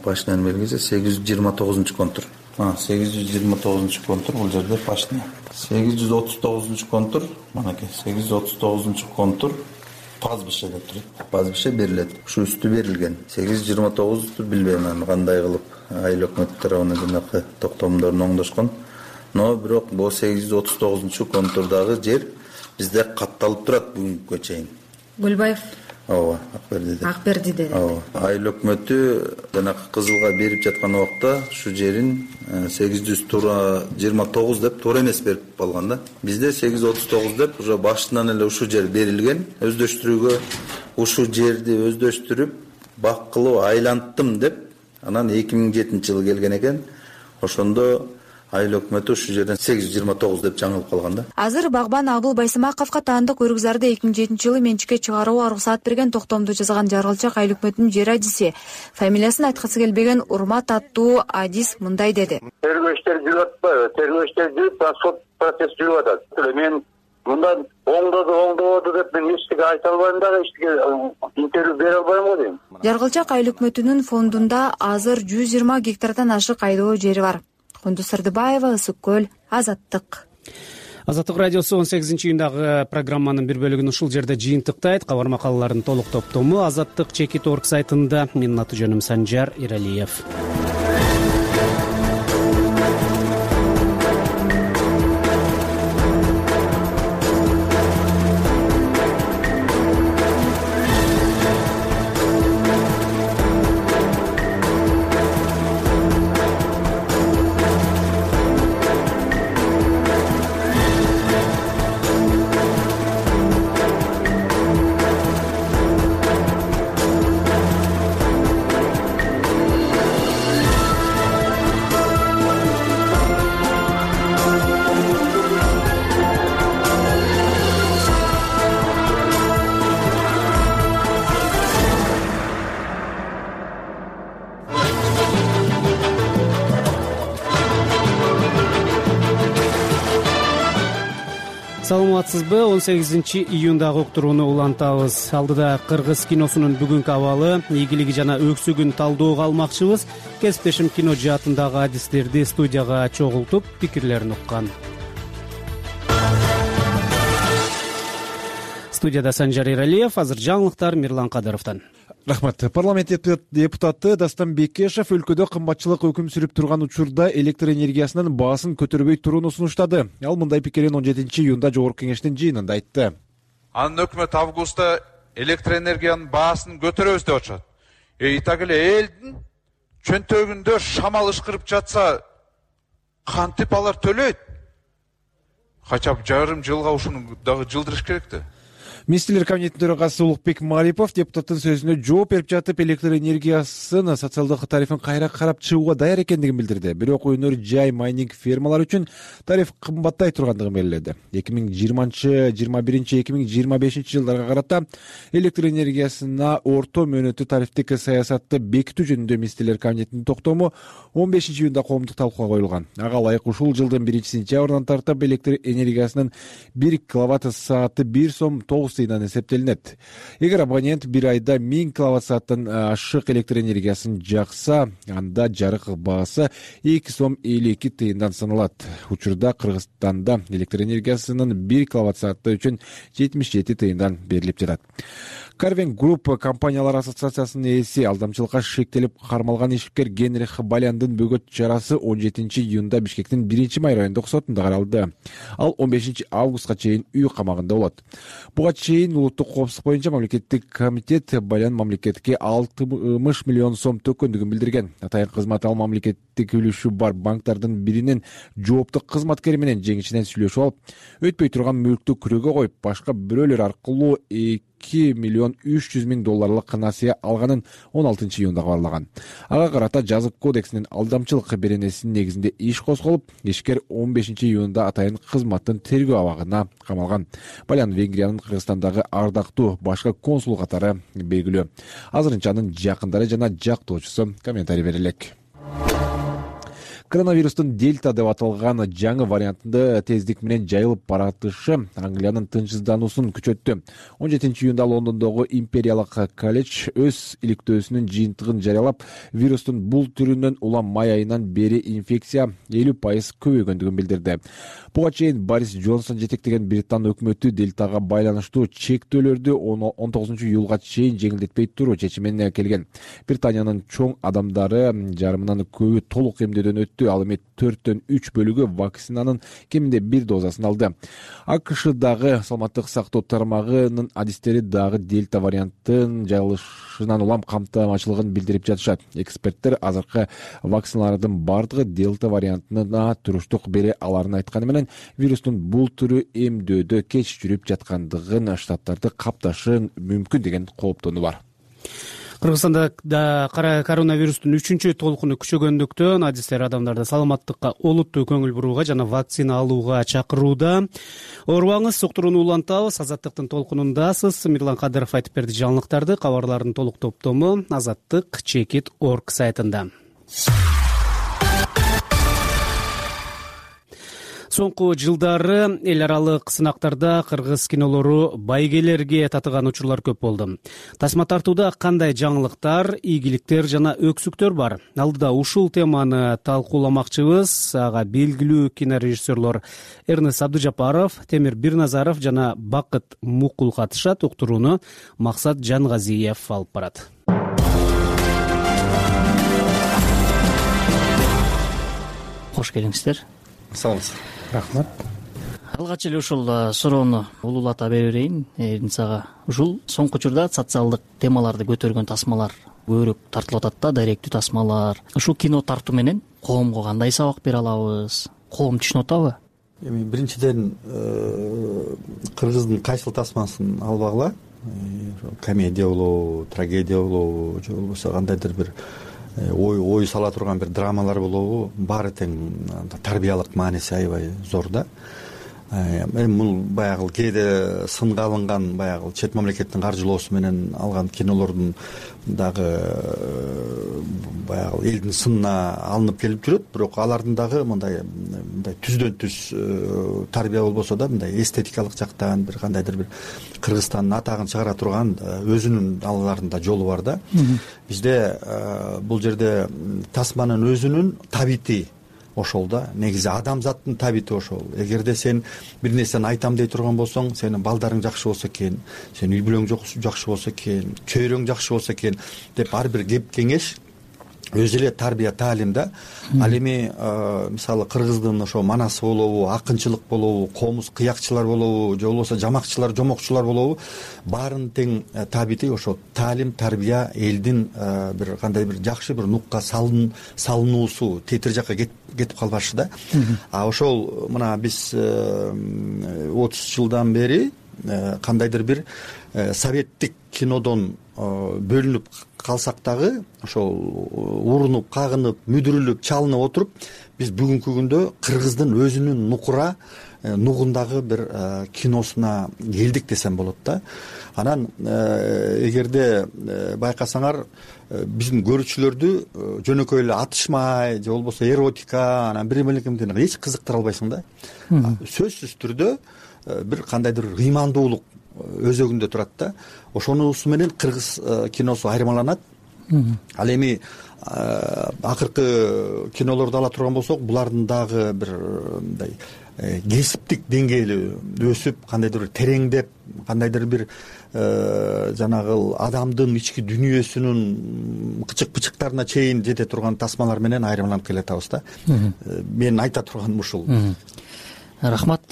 пашнян белгиси 829-контур. 829-контур бул жерде пашня. 839-контур, манаки 839-контур пазбише деп турат. Пазбише берилет. Ушу үстү берилген. 829 билбейм аны кандай кылып айыл өкмөт тарабынан жанакы токтомдорун оңдошкон. Но бирок бул 839-контурдагы жер бизде катталып турат бүгүнкү чейин. Көлбаев Ооба, Акбердиде. Ооба. Айыл өкмөтү жанакы кызылга берип жаткан убакта ушу жерин 829 деп туура эмес берип алган да. Бизде 839 деп уже башынан эле ушу жер берилген. Өздөштүрүүгө ушу жерди өздөштүрүп, бак кылып айланттым деп, анан 2007 жылы келген экен. Ошондо айыл өкмөтү ушу жерден 829 деп жаңылып калган да. Азыр багбан Абыл Байсымаковго таандык өрүкзарды 2007 жылы менчикке чыгарууга уруксат берген токтомду жазган Жаргылчак айыл өкмөтүнүн жер адиси. Фамилиясын айткысы келбеген Урмат аттуу адис мындай деди. Тергөөчтөр жүрүп атпайбы? Тергөөчтөр жүрүп, сот процесс жүрүп атат. Мен мындан оңдоду деп мен эчтеке айта албайм дагы, эчтеке интервью бере албайм го дейм. Жаргылчак айыл өкмөтүнүн фондунда азыр 120 гектардан ашык айдоо жери бар. Кундуз Сырдыбаева, Ысык көл, Азаттык. Азаттык радиосу 18-июндагы программанын бир бөлүгүн ушул жерде жыйынтыктайт. Кабар макалалардын толук топтому Азаттык Чекит.org сайтында. Менин аты жөнүм Санжар Иралиев. Саламатсызбы? 18-июндагы уктурууну улантабыз. Алдыда кыргыз киносунун бүгүнкү абалы, ийгилиги жана өксүгүн талдөөгө алмакчыбыз. Кесиптешим кино жаатындагы адистерди студияга чогултуп, пикирлерин уккан. Студияда Санжар Иралиев, азыр жаңылыктар Мирлан Кадыровдон. Рахмат. Парламент депутаты Дастан Бекешев өлкөдө кымбатчылык өкүм сүрүп турган учурда электр энергиясынын баасын көтөрбөй турууну сунуштады. Ал мындай пикирин 17-июнда Жогорку Кеңештин жыйынында айтты. Анын өкмөт августта электр энергиянын баасын көтөрөбүз деп атышат. Так эле элдин чөнтөгүндө шамал ышкырып жатса, кантип алар төлөйт? Качап жарым жылга ушуну дагы жылдырыш керек да. Министрлер кабинетинин төрагасы Улукбек Марипов депутаттын сөзүнө жооп берип жатып, электр энергиясын социалдык тарифин кайра карап чыгууга даяр экендигин билдирди. Бирок өнөр жай майнинг фермалар үчүн тариф кымбаттай тургандыгын белгиледи. 2020-2025 жылдарга карата электр энергиясына орто мөөнөттүү тарифтик саясатты бекитүү жөнүндө министрлер кабинетинин токтому 15-июнда коомдук талкууга коюлган. Ага ылайык ушул жылдын 1-сентябрынан тартып электр энергиясынын 1 киловатт сааты 1 сом 9 тыйындан эсептелинет. Эгер абонент бир айда 1000 киловатт сааттан ашык электр энергиясын жакса, анда жарык баасы 2 сом 52 тыйындан саналат. Учурда Кыргызстанда электр энергиясынын 1 киловатт сааты үчүн 77 тыйындан берилип жатат. Карвен Групп компаниялар ассоциациясынын ээси алдамчылыкка шектелип кармалган ишкер Генрих Баляндын бөгөт чарасы 17-июнда Бишкектин 1-май райондук сотунда каралды. Ал 15 августка чейин үй камагында болот. Буга чейин улуттук коопсуздук боюнча мамлекеттик комитет Балян мамлекетке 60 миллион сом төккөндүгүн билдирген. Атайын кызмат ал мамлекеттик үлүшү бар банктардын биринин жооптук кызматкери менен жеңишинен сүйлөшүп алып, өтпөй турган мүлктү күрөөгө коюп, башка бирөөлөр аркылуу 2 миллион 300 миң долларлык насыя алганын 16-июнда кабарлаган. Ага карата жазык кодексинин алдамчылык беренесинин негизинде иш козголуп, ишкер 15-июнда атайын кызматтын тергөө абагына камалган. Балян Венгриянын Кыргызстандагы ардактуу башкы консул катары белгилүү. Азырынча анын жакындары жана жактоочусу комментарий бере элек. Коронавирустун дельта деп аталган жаңы вариантында тездик менен жайылып баратышы Англиянын тынчсыздануусун күчөттү. 17-июнда Лондондогу Империялык колледж өз иликтөөсүнүн жыйынтыгын жарыялап, вирустун бул түрүнөн улам май айынан бери инфекция 50% көбөйгөндүгүн билдирди. Буга чейин Борис Джонсон жетектеген Британ өкмөтү дельтага байланыштуу чектөөлөрдү 19-июлга чейин жеңилдетпей туруу чечимине келген. Британиянын чоң адамдары жарымынан көбү толук эмдөөдөн өттү. Ал эми 4/3 бөлүгү вакцинанын кеминде 1 дозасын алды. АКШдагы саламаттык сактоо тармагынын адистери дагы дельта варианттын жайылышынан улам камтамачылыгын билдирип жатышат. Эксперттер азыркы вакциналардын бардыгы дельта вариантына туруштук бере аларын айтканы менен, вирустун бул түрү эмдөөдө кеч жүрүп жаткандыгын, штаттарды капташы мүмкүн деген кооптонуу бар. Кыргызстанда коронавирустун 3-чү толкуну күчөгөндүктөн адистер адамдарды саламаттыкка олуттуу көңүл бурууга жана вакцина алууга чакырууда. Оорубаңыз, уктурууну улантабыз. Азаттыктын толкунундасыз. Мирлан Кадыров айтып берди жаңылыктарды. Кабарлардын толук топтому Азаттык Чекит.org сайтында. Соңку жылдары эл аралык сынактарда кыргыз кинолору байгелерге татыган учурлар көп болду. Тасма тартууда кандай жаңылыктар, ийгиликтер жана өксүктөр бар? Алдыда ушул теманы талкууламакчыбыз. Ага белгилүү кинорежиссерлор Эрнест Абдыжапаров, Темир Бирназаров жана Бакыт Мукул катышат. Уктурууну Максат Жангазиев алып барат. Кош келиңиздер. Саламатсызбы. Рахмат. Алгач эле ушул суроону улуулата берейин Эрнисага. Ушул соңку учурда социалдык темаларды көтөргөн тасмалар көбүрөөк тартылып атат да, даректүү тасмалар. Ушул кино тартуу менен коомго кандай сабак бере алабыз? Коом түшүнүп атабы? Эми биринчиден кыргыздын кайсыл тасмасын албагыла. Комедия болобу, трагедия болобу, же болбосо кандайдыр бир ой сала турган бир драмалар болобу, баары тең тарбиялык мааниси аябай зор да. Эми бул баягы кээде сынга алынган баягы чет мамлекеттин каржылоосу менен алган кинолордун дагы баягы элдин сынына алынып келип жүрөт, бирок алардын дагы мындай түздөн түз тарбия болбосо да, мындай эстетикалык жактан бир кандайдыр бир Кыргызстандын атагын чыгара турган өзүнүн аларында жолу бар да. Бизде бул жерде тасманын өзүнүн табити ошол да, негизи адамзаттын табити ошол. Эгерде сен бир нерсени айтам дей турган болсоң, сенин балдарың жакшы болсо экен, сенин үй бүлөң жакшы болсо экен, чөйрөң жакшы болсо экен деп ар бир кеп кеңеш өзү эле тарбия таалим да. Ал эми мисалы кыргыздын ошо манасы болобу, акынчылык болобу, комуз кыякчылар болобу, же болбосо жамакчылар, жомокчулар болобу, баарынын тең табити ошо таалим, тарбия, элдин бир кандай бир жакшы бир нукка салынуусу, тетир жакка кетип калбашы да. А ошол мына биз 30 жылдан бери кандайдыр бир советтик кинодон бөлүнүп калсак дагы ошол урунуп, кагынып, мүдүрүлүп, чалынып отуруп, биз бүгүнкү күндө Кыргыздын өзүнүн нукура нугундагы бир киносуна келдик десем болот да. Анан эгерде байкасаңар, биздин көрүүчүлөрдү жөнөкөй эле атышмай же болбосо эротика, анан бир мелкемден эч кызыктыра албайсың да. Сөзсүз түрдө бир кандайдыр ыймандуулук өзөгүндө турат да. Ошонусу менен кыргыз киносу айырмаланат. Ал эми акыркы кинолорду ала турган болсок, булардын дагы бир мындай кесиптик деңгээли өсүп, кандайдыр бир тереңдеп, кандайдыр бир жанагы адамдын ички дүнүйөсүнүн кычык-пычыктарына чейин жете турган тасмалар менен айырмаланып келатабыз да. Мен айта турганым ушул. Рахмат.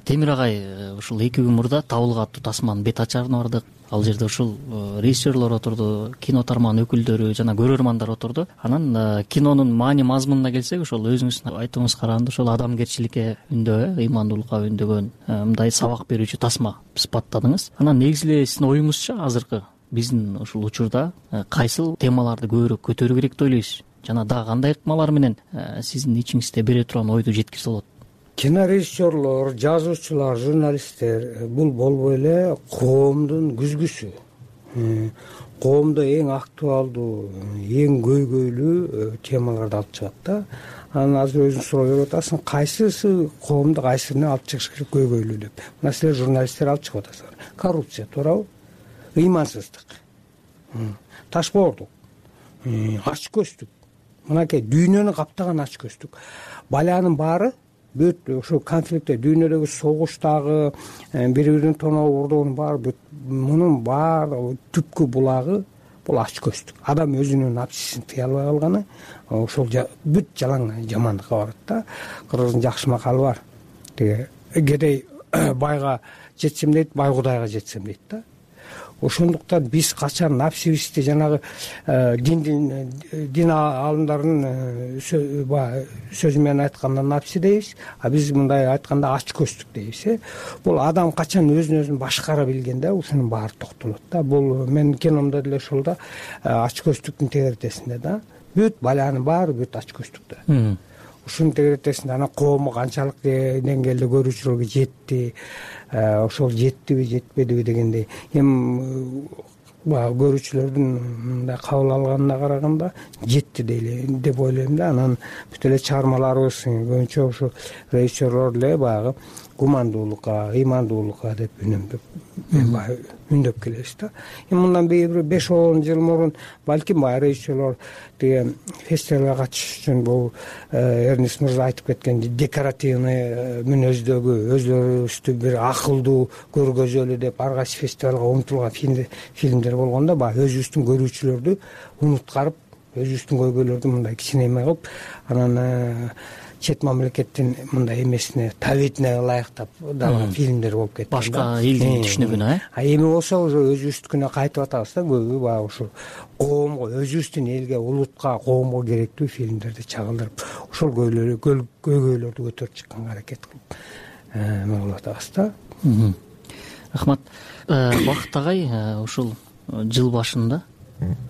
Темир агай, ушул 2 күн мурда Табылга аттуу тасманын бет ачарын бардык. Ал жерде ушул режиссерлор отурду, кино тармагынын өкүлдөрү жана көрөрмандар отурду. Анан кинонун маани мазмунуна келсек, ошол өзүңүздүн айтууңуз караганда ошол адамгерчиликке үндөө, ыймандуулукка үндөгөн мындай сабак берүүчү тасма сыпаттадыңыз. Анан негизи эле сиздин оюңузча азыркы биздин ушул учурда кайсыл темаларды көбүрөөк көтөрүү керек деп ойлойсуз? Жана дагы кандай ыкмалар менен сиздин ичиңизде бере турган ойду жеткирисе болот? Кинорежиссерлор, жазуучулар, журналисттер бул болбой эле коомдун күзгүсү. Коомдо эң актуалдуу, эң көйгөйлүү темаларды алып чыгат да. Анан азыр өзүң суроо берип атасың, кайсысы коомду кайсыны алып чыгыш керек көйгөйлүү деп. Мына силер журналисттер алып чыгып атасыңар. Коррупция, туурабы? Ыймансыздык, ташбоордук, ач көздүк. Мынакей дүйнөнү каптаган ач көздүк. Баланын баары бүт ошо конфликтте, дүйнөдөгү согуштагы бири-бирин тоноо урдоонун баары мунун баары түпкү булагы бул ач көздүк. Адам өзүнүн напсисин тыя албай калганы ошол бүт жалаң жамандыкка барат да. Кыргыздын жакшы макалы бар. Тиги кедей байга жетсем дейт, бай кудайга жетсем дейт да. Ошондуктан биз качан напсибизди жанагы дин алымдарынын сөзү менен айтканда напси дейбиз, а биз мындай айтканда ач көздүк дейбиз. Бул адам качан өзүн башкара билгенде ушунун баары токтолот да. Бул менин киномдо деле ошол да, ач көздүктүн тегеретесинде да. Бүт баланын баары бүт ач көздүктө. Ушунун тегеретесинде анан коому канчалык деңгээлде көрүүчүлөргө жетти, ошол жеттиби жетпедиби дегендей. Эми баягы көрүүчүлөрдүн мындай кабыл алганына караганда жетти деп ойлойм да. Анан бүт эле чыгармаларыбыз көбүнчө ушу режиссерлор эле баягы гумандуулукка, ыймандуулукка деп үндөп келебиз да. Мындан бир 5-10 жыл мурун балким баягы режиссерлор тиги фестивалга катышыш үчүн бул Эрнест мырза айтып кеткен декоративный мүнөздөгү, өзлөрүбүздү бир акылдуу көргөзөлү деп ар кайсы фестивалга умтулган фильмдер болгондо баягы өзүбүздүн көрүүчүлөрдү умуткарып, өзүбүздүн көйгөйлөрдү мындай кичинеме кылып, анан чет мамлекеттин мындай эмесине, табитине ылайыктап далган фильмдер болуп кетти. Башка элдин түшүнүгүнө, эми болсо уже өзүбүздүкүнө кайтып атабыз да. Көбү баягы ушу коомго, өзүбүздүн элге, улутка, коомго керектүү фильмдерди чагылдырып, ошол көйгөйлөрдү көтөрүп чыкканга аракет кылып кылып атабыз да. Рахмат. Бакыт агай, ушул жыл башында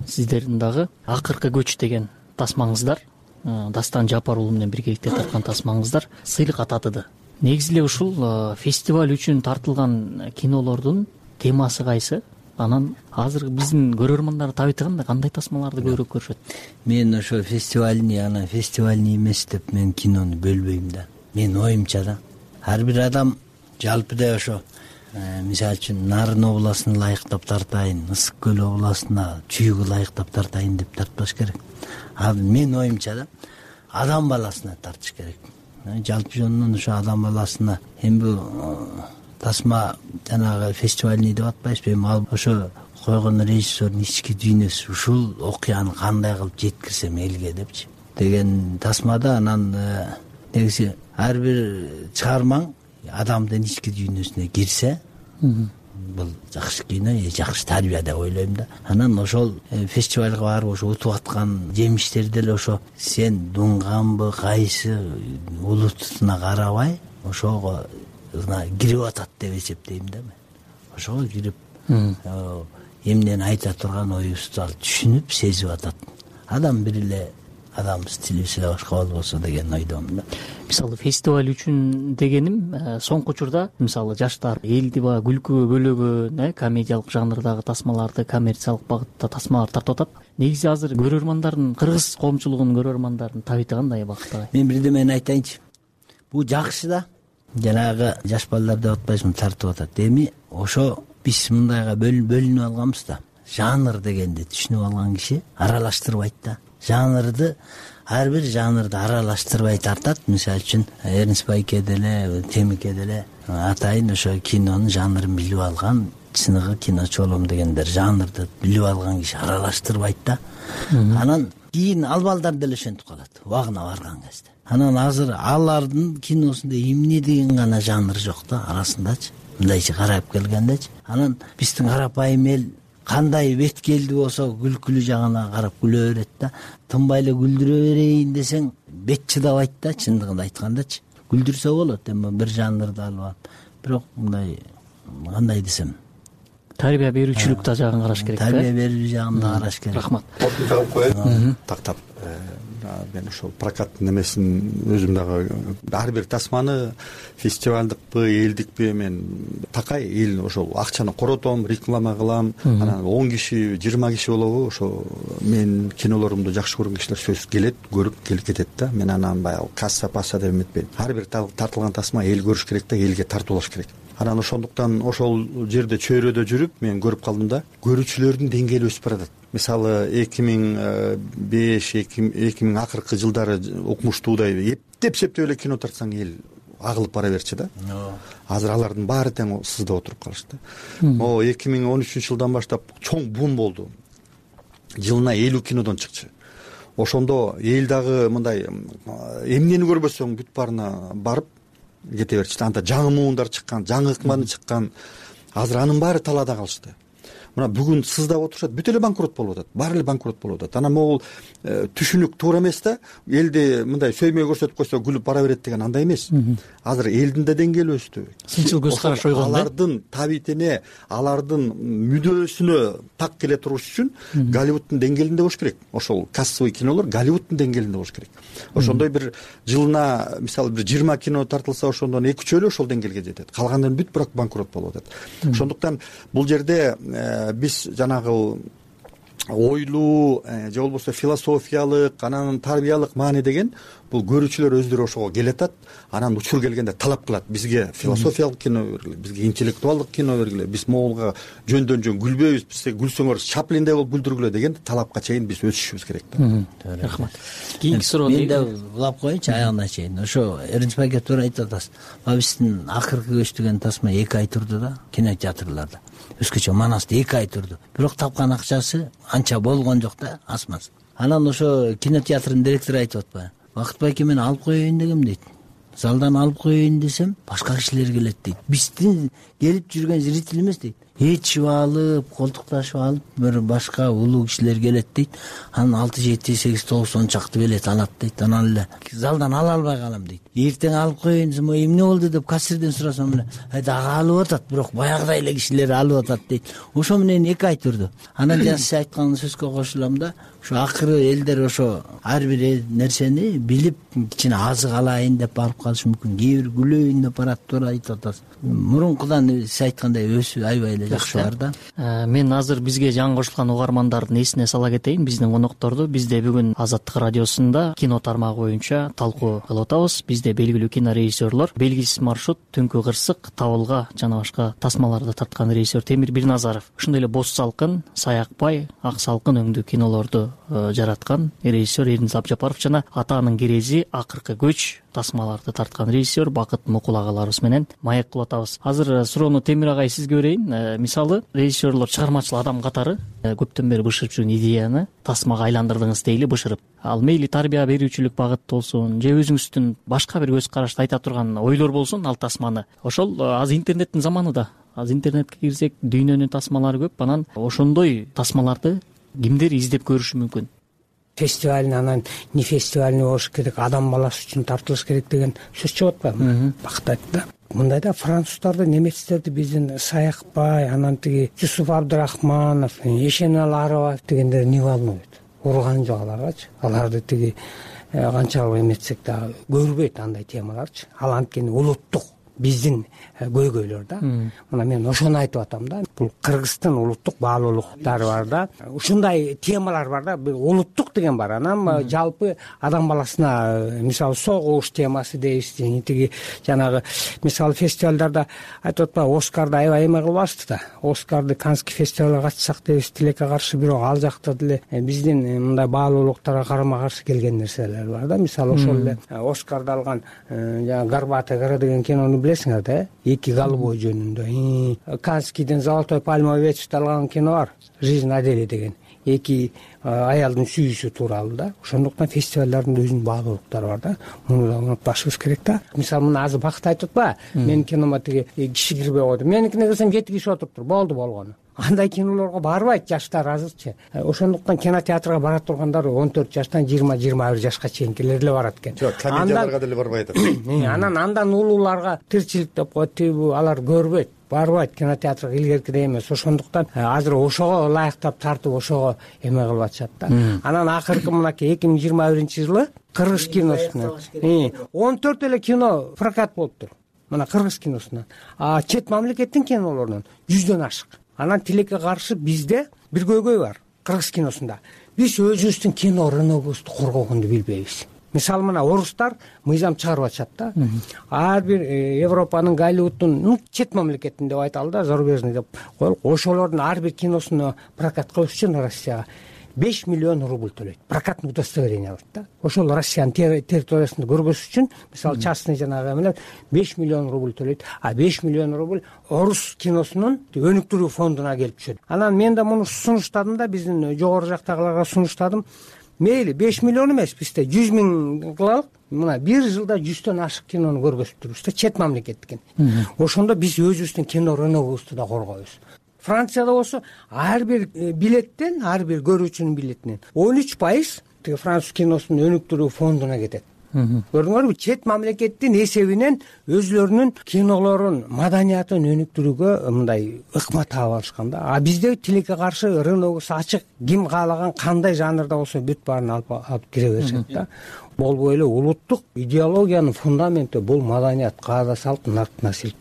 сиздердин дагы акыркы көч деген тасмаңыздар, Дастан Жапар уулу менен биргеликте тарткан тасмаңыздар сыйлыкка татыды. Негизи эле ушул фестиваль үчүн тартылган кинолордун темасы кайсы? Анан азыр биздин көрөрмандар табитыганда кандай тасмаларды көбүрөөк көрүшөт? Мен ошо фестивальный эмес деп мен кинону бөлбөйм да. Мен оюмча да. Ар бир адам жалпыда ошо мисалы үчүн Нарын областын ылайыктап тартайын, Ысык көл областына чүйгү ылайыктап тартайын деп тартпаш керек. Мен оюмча да адам баласына тартыш керек. Жалпы жөнүнөн ошо адам баласына эми бул тасма жанагы фестивальный деп атпайбызбы, эми ошо койгон режиссердун ички дүйнөсү, ушул окуяны кандай кылып жеткирсем элге депчи деген тасмада. Анан негизи ар бир чыгармаң адамдын ички дүйнөсүнө кирсе, бул жакшы кино, жакшы тарбия деп ойлойм да. Анан ошол фестивалга барып ошо утуп аткан жемиштер деле ошо сен дуңганбы, кайсы улутуна карабай ошого кирип атат деп эсептейм да мен. Ошого кирип эмнени айта турган оюбузду ал түшүнүп, сезип атат. Адам бир эле адамбыз, тилибиз эле башка болбосо деген ойдомун да. Мисалы фестиваль үчүн дегеним соңку учурда мисалы жаштар элди баягы күлкүгө бөлөгөн, комедиялык жанрдагы тасмаларды, коммерциялык багытта тасмалар тартып атат. Негизи азыр көрөрмандардын, кыргыз коомчулугунун көрөрмандардын табити кандай Бакыт агай? Мен бирдемени айтайынчы. Бул жакшы да. Жанагы жаш балдар деп атпайсызбы, тартып атат. Эми ошо биз мындайга бөлүнүп алганбыз да. Жанр дегенди түшүнүп алган киши аралаштырбайт да. Жанрды, ар бир жанрды аралаштырбай тартат. Мисалы үчүн Эрнест Байке деле, Темике деле атайын ошо кинонун жанрын билип алган, чыныгы киночу болом дегендер жанрды билип алган киши аралаштырбайт да. Анан кийин ал балдар деле ошентип калат убагына барган кезде. Анан азыр алардын киносунда эмне деген гана жанр жок да арасындачы. Мындайча карап келгендечи. Анан биздин карапайым эл кандай беткелди болсо күлкүлүү жагына карап күлө берет да. Тынбай эле күлдүрө берейин десең бет чыдабайт да, чындыгын айткандачы. Күлдүрсө болот, эми бир жанрды алып алып. Бирок мындай кандай десем, тарбия берүүчүлүк да жагын караш керек. Тарбия берүү жагын да караш керек. Рахмат. Калып коеюн. Тактап мен ошол прокаттын эмесин өзүм дагы ар бир тасманы фестивалдыкпы, элдикпи мен такай эл ошол акчаны коротом, реклама кылам. Анан 10 киши, 20 киши болобу ошо мен кинолорумду жакшы көргөн кишилер сөзсүз келет, көрүп келип кетет да. Мен анан баягы касса деп эметпейм. Ар бир тартылган тасма эл көрүш керек да, элге тартуулаш керек. Анан ошондуктан ошол жерде чөйрөдө жүрүп мен көрүп калдым да, көрүүчүлөрдүн деңгээли өсүп баратат. Мисалы 2005-2000 акыркы жылдары укмуштуудай эптеп эле кино тартсаң эл агылып бара берчү да. Азыр алардын баары тең сызда отуруп калышты. 2013-жылдан баштап чоң бум болду. Жылына 50 кинодон чыкчу. Ошондо эл дагы мындай эмнени көрбөсөң бүт баарына барып кете берчү. Анда жаңы муундар чыккан, жаңы ыкманы чыккан. Азыр анын баары талаада калышты. Мына бүгүн сыздап отурушат, бүт эле банкрот болуп атат. Баары эле банкрот болуп атат. Анан могул түшүнүк туура эмес да. Элди мындай сөймөй көрсөтүп койсо күлүп бара берет деген андай эмес. Азыр элдин да деңгээли өстү. Сынчыл көз караш ойгон да. Алардын табитине, алардын мүдөөсүнө так келе туруш үчүн Голливудтун деңгээлинде болуш керек. Ошол кассовый кинолор Голливудтун деңгээлинде болуш керек. Ошондой бир жылына мисалы бир 20 кино тартылса, ошондон 2-3 ошол деңгээлге жетет. Калгандын бүт бирок банкрот болуп атат. Ошондуктан бул жерде биз жанагы ойлуу же болбосо философиялык анан тарбиялык маани деген бул көрүүчүлөр өздөрү ошого келатат, анан учур келгенде талап кылат: бизге философиялык кино бергиле, бизге интеллектуалдык кино бергиле, биз могулга жөндөн жөн күлбөйбүз, бизге күлсөңөр Чаплиндей болуп күлдүргүлө деген талапка чейин биз өсүшүбүз керек да. Рахмат. Кийинки суроо мен да улап коеюнчу аягына чейин. Ошо Эринч байке туура айтып атасыз. Биздин акыркы көч деген тасма 2 ай турду да, кинотеатрларда. Өзгөчө Манаста 2 ай турду. Бирок тапкан акчасы анча болгон жок да, асмас. Анан ошо кинотеатрдын директору айтып атпайбы? Бакыт байке мен алып коеюн дегем дейт. Залдан алып коеюн десем, башка кишилер келет дейт. Биздин келип жүргөн зритель эмес дейт. Ээрчип алып, колтукташып алып, бир башка улуу кишилер келет дейт. Анан 6, 7, 8, 9 чакты билет алат дейт. Анан эле залдан ала албай калам дейт. Эртең алып коеюн десем, эмне болду деп кассирден сурасам эле, дагы алып атат, бирок баягыдай эле кишилер алып атат дейт. Ошо менен 2 ай турду. Анан жана сиз айткан сөзгө кошулам да, ошо акыры элдер ошо ар бир нерсени билип, кичине азык алайын деп алып калышы мүмкүн. Кээ бир күлөйүн деп барат, туура айтып атасыз. Мурункудан сиз айткандай өсүп аябай эле жакшы бар да. Мен азыр бизге жаңы кошулган угармандардын эсине сала кетейин. Биздин конокторду бизде бүгүн Азаттык радиосунда кино тармагы боюнча талкуу кылып атабыз. Бизде белгилүү кинорежиссерлор, белгисиз маршрут, Түнкү кырсык, Табылга жана башка тасмаларды тарткан режиссер Темир Бирназаров. Ошондой эле Боз салкын, Саякбай, Ак салкын өңдүү кинолорду жараткан режиссер Эринч Абжапаров жана Атанын керези, Акыркы көч тасмаларды тарткан режиссер Бакыт Мукул агаларыбыз менен маек кылып атабыз. Азыр суроону Темир агай сизге берейин. Мисалы, режиссерлор чыгармачыл адам катары көптөн бери бышырып жүргөн идеяны тасмага айландырдыңыз дейли, бышырып. Ал мейли тарбия берүүчүлүк багыт болсун, же өзүңүздүн башка бир көз карашты айта турган ойлор болсун, ал тасманы. Ошол азыр интернеттин заманы да. Азыр интернетке кирсек, дүйнөнүн тасмалары көп. Анан ошондой тасмаларды кимдер издеп көрүшү мүмкүн? Фестиваль, анан не фестивальный болуш керек, адам баласы үчүн тартылыш керек деген сөз чыгып атпайбы? Бакыт айтты да. Мындайда француздарды, немецтерди биздин Саякбай, анан тиги Жусуп Абдрахманов, Эшенал Арабаев дегендер не волнует? Урган жок аларгачы. Аларды тиги канчалык эметсек да көрбөйт андай темаларчы. Ал анткени улуттук биздин көйгөйлөр да. Мына мен ошону айтып атам да. Бул Кыргыздын улуттук баалуулуктары бар да. Ушундай темалар бар да. Улуттук деген бар. Анан жалпы адам баласына, мисалы, согуш темасы дейбиз, тиги жанагы мисалы фестивалдарда айтып атпайбы, Оскарды аябай эме кылбашты да. Оскарды Каннский фестивалга катышсак дейбиз, тилекке каршы, бирок ал жакта деле биздин мындай баалуулуктарга карама каршы келген нерселер бар да. Мисалы, ошол эле Оскарды алган Горбатая гора деген кинону билесиңер да, 2 голубой жөнүндө. Каннскийден Золотой пальмовый ветвь алган кино бар, Жизнь Адели деген. 2 аялдын сүйүүсү тууралуу да. Ошондуктан фестивалдардын өзүнүн баалуулуктары бар да. Муну да унутпашыбыз керек да. Мисалы, мына азыр Бакыт айтып атпайбы? Менин кинома тиги киши кирбей койду. Меникине келсем 7 киши отуруптур. Болду болгону. Андай кинолорго барбайт жаштар азырчы. Ошондуктан кинотеатрга бара тургандар 14 жаштан 20-21 жашка чейинкилер эле барат экен. Жок, комедияларга деле барбайт. Андан улууларга тирчилик деп коет, алар көрбөйт, барбайт кинотеатрга илгеркидей эмес. Ошондуктан азыр ошого ылайыктап тартып, ошого эме кылып атышат да. Анан акыркы мынакей 2021-жылы кыргыз киносунан 14 эле кино прокат болуптур. Мына кыргыз киносунан. Чет мамлекеттин кинолорунан 100дөн ашык. Анан тилекке каршы бизде бир көйгөй бар кыргыз киносунда. Биз өзүбүздүн кино рыногубузду коргогонду билбейбиз. Мисалы, мына орустар мыйзам чыгарып атышат да. Ар бир Европанын, Голливуддун, чет мамлекетин деп айталы да, зарубежный деп коелук. Ошолордун ар бир киносуну прокат кылыш үчүн Россияга 5 миллион рубль төлөйт. Прокатный удостоверение алат да. Ошол Россиянын территориясында көргөзүш үчүн, мисалы, частный жанагы эмелер 5 миллион рубль төлөйт. 5 миллион рубль орус киносунун өнүктүрүү фондуна келип түшөт. Анан мен да муну сунуштадым да, биздин жогору жактагыларга сунуштадым. Мейли 5 миллион эмес, бизде 100 миң кылалык. Мына бир жылда 100дөн ашык кинону көргөзүп турбуз да, чет мамлекеттики. Ошондо биз өзүбүздүн кино рыногубузду да коргойбуз. Францияда болсо ар бир билеттен, ар бир көрүүчүнүн билетинен 13% тиги француз киносунун өнүктүрүү фондуна кетет. Көрдүңөрбү? Чет мамлекеттин эсебинен өзлөрүнүн кинолорун, маданиятын өнүктүрүүгө мындай ыкма таап алышкан да. Бизде тилекке каршы рыногубуз ачык, ким каалаган кандай жанрда болсо бүт баарын алып кире беришет да. Болбой эле улуттук идеологиянын фундаменти бул маданият, каада салт, нарт насил.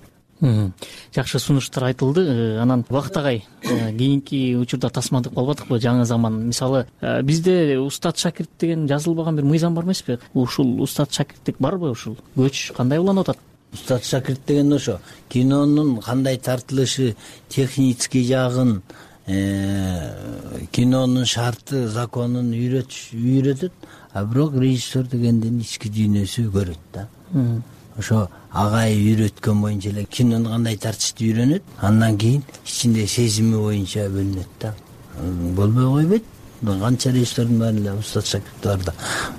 Жакшы сунуштар айтылды. Анан Бакыт агай, кийинки учурда тасмандык болбодукпу, жаңы заман. Мисалы, бизде устат шакирт деген жазылбаган бир мыйзам бар эмеспи? Ушул устат шакирттик барбы? Ушул көч кандай уланып атат? Устат шакирт деген ошо кинонун кандай тартылышы, технический жагын, кинонун шарты, законун үйрөтөт, а бирок режиссер дегендин ички дүйнөсү көрөт да. Ошо агай үйрөткөн боюнча эле кинону кандай тартышты үйрөнөт, андан кийин ичинде сезими боюнча бөлүнөт да. Болбой койбойт. Канча режиссердин баары эле устат шакирти бар да.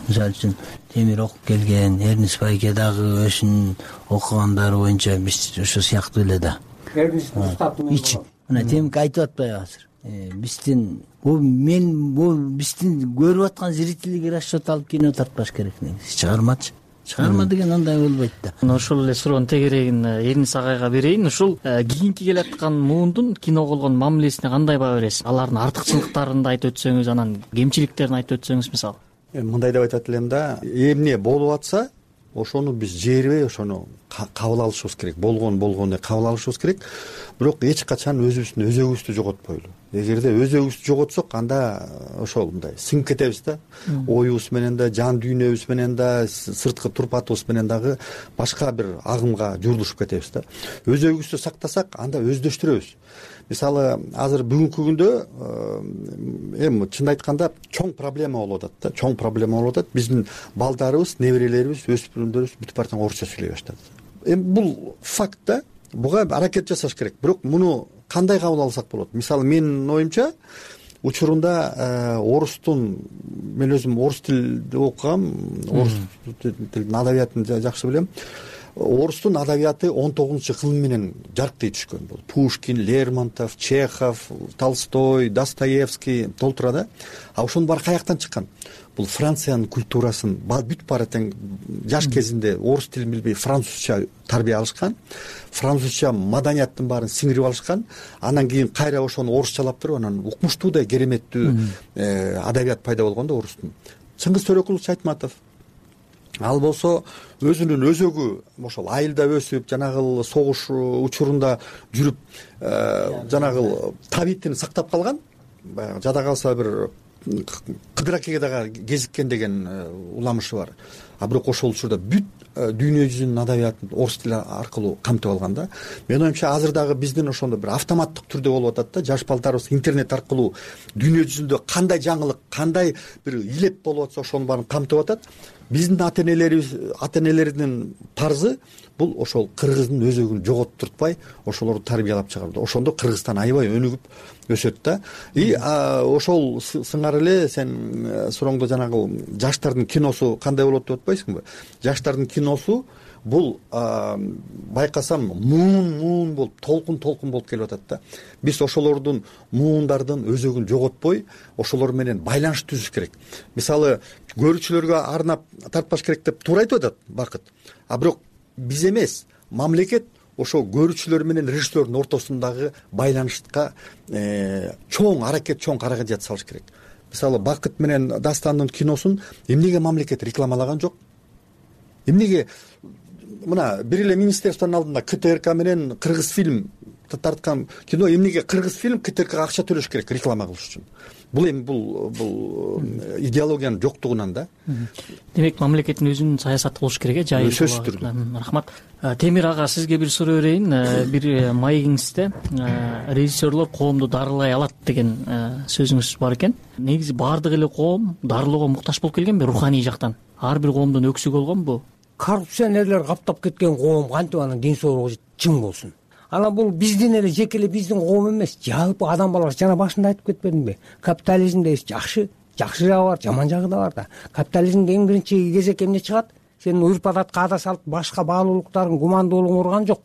Мисалы үчүн Темир окуп келген, Эрнест Байке дагы өзүнүн окугандары боюнча биз ошо сыяктуу эле да. Мына Темик айтып атпайбы азыр? Биздин биздин көрүп аткан зрительге расчет алып кино тартпаш керек негизи. Чыгарма деген андай болбойт да. Ошол эле суроонун тегерегин Эрнест агайга берейин. Ушул кийинки келаткан муундун киного болгон мамилесине кандай баа бересиз? Алардын артыкчылыктарын да айтып өтсөңүз, анан кемчиликтерин айтып өтсөңүз мисалы. Мындай деп айтат элем да, эмне болуп атса, ошону биз жээрбей ошону кабыл алышыбыз керек. Болгону кабыл алышыбыз керек. Бирок эч качан өзөгүбүздү жоготпойлу. Эгерде өзөгүбүздү жоготсок, анда ошол мындай сиңип кетебиз да. Оюбуз менен да, жан дүйнөбүз менен да, сырткы турпатыбыз менен дагы башка бир агымга журдушуп кетебиз да. Өзөгүбүздү сактасак, анда өздөштүрөбүз. Мисалы, азыр бүгүнкү күндө чын айтканда чоң проблема болуп атат да. Чоң проблема болуп атат. Биздин балдарыбыз, неберелерибиз, өспүрүмдөрүбүз бүтүп бараткан орусча сүйлөй баштады. Бул факт да. Буга аракет жасаш керек. Бирок муну кандай кабыл алсак болот? Мисалы, менин оюмча, учурунда мен өзүм орус тилде окугам, орус тилинин адабиятын жакшы билем. Орустун адабияты 19-кылым менен жарктай түшкөн. Бул Пушкин, Лермонтов, Чехов, Толстой, Достоевский толтура да. А ошонун баары каяктан чыккан? Бул Франциянын культурасын бүт баары тең жаш кезинде орус тилин билбей французча тарбия алышкан, французча маданияттын баарын сиңирип алышкан, анан кийин кайра ошону орусчалап туруп, анан укмуштуудай кереметтүү адабият пайда болгон да орустун. Чыңгыз Төрөкулович Айтматов, ал болсо өзүнүн өзөгү ошол айылда өсүп, жанагы согуш учурунда жүрүп, жанагы табитин сактап калган. Баягы жада калса бир Кыдыракеге дагы кезиккен деген уламышы бар. А бирок ошол учурда бүт дүйнө жүзүнүн адабиятын орус тили аркылуу камтып алган да. Менин оюмча азыр дагы биздин ошондо бир автоматтык түрдө болуп атат да. Жаш балдарыбыз интернет аркылуу дүйнө жүзүндө кандай жаңылык, кандай бир илеп болуп атса, ошонун баарын камтып атат. Биздин ата энелердин парзы бул ошол кыргыздын өзөгүн жоготтуртпай, ошолорду тарбиялап чыгаруу. Ошондо Кыргызстан аябай өнүгүп өсөт да. Ошол сыңары эле сен сурооңдо жанагы жаштардын киносу кандай болот деп атпайсыңбы? Жаштардын киносу бул байкасам муун болуп, толкун болуп келип атат да. Биз ошолордун муундардын өзөгүн жоготпой, ошолор менен байланыш түзүш керек. Мисалы, көрүүчүлөргө арнап тартпаш керек деп туура айтып атат Бакыт. А бирок биз эмес, мамлекет ошо көрүүчүлөр менен режиссердин ортосундагы байланышка чоң аракет салыш керек. Мисалы, Бакыт менен Дастандын киносун эмнеге мамлекет рекламалаган жок? Эмнеге мына бир эле министерствонун алдында КТРК менен Кыргыз фильм тарткан кино, эмнеге Кыргыз фильм КТРКга акча төлөш керек реклама кылыш үчүн? Бул идеологиянын жоктугунан да. Демек, мамлекеттин өзүнүн саясаты болуш керек, жайыл. Сөзсүз түрдө. Рахмат. Темир ага, сизге бир суроо берейин. Бир маегиңизде режиссерлор коомду дарылай алат деген сөзүңүз бар экен. Негизи баардык эле коом дарылоого муктаж болуп келгенби руханий жактан? Ар бир коомдун өксүгү болгонбу? Коррупционерлер каптап кеткен коом кантип анын ден соолугу чың болсун? Анан бул биздин эле жеке эле биздин коом эмес, жалпы адам баласы. Жана башында айтып кетпедимби? Капитализмде жакшы жагы бар, жаман жагы да бар да. Капитализмде эң биринчи кезек эмне чыгат? Сенин урп адатка ада салт башка баалуулуктарың, гумандуулугуң урган жок.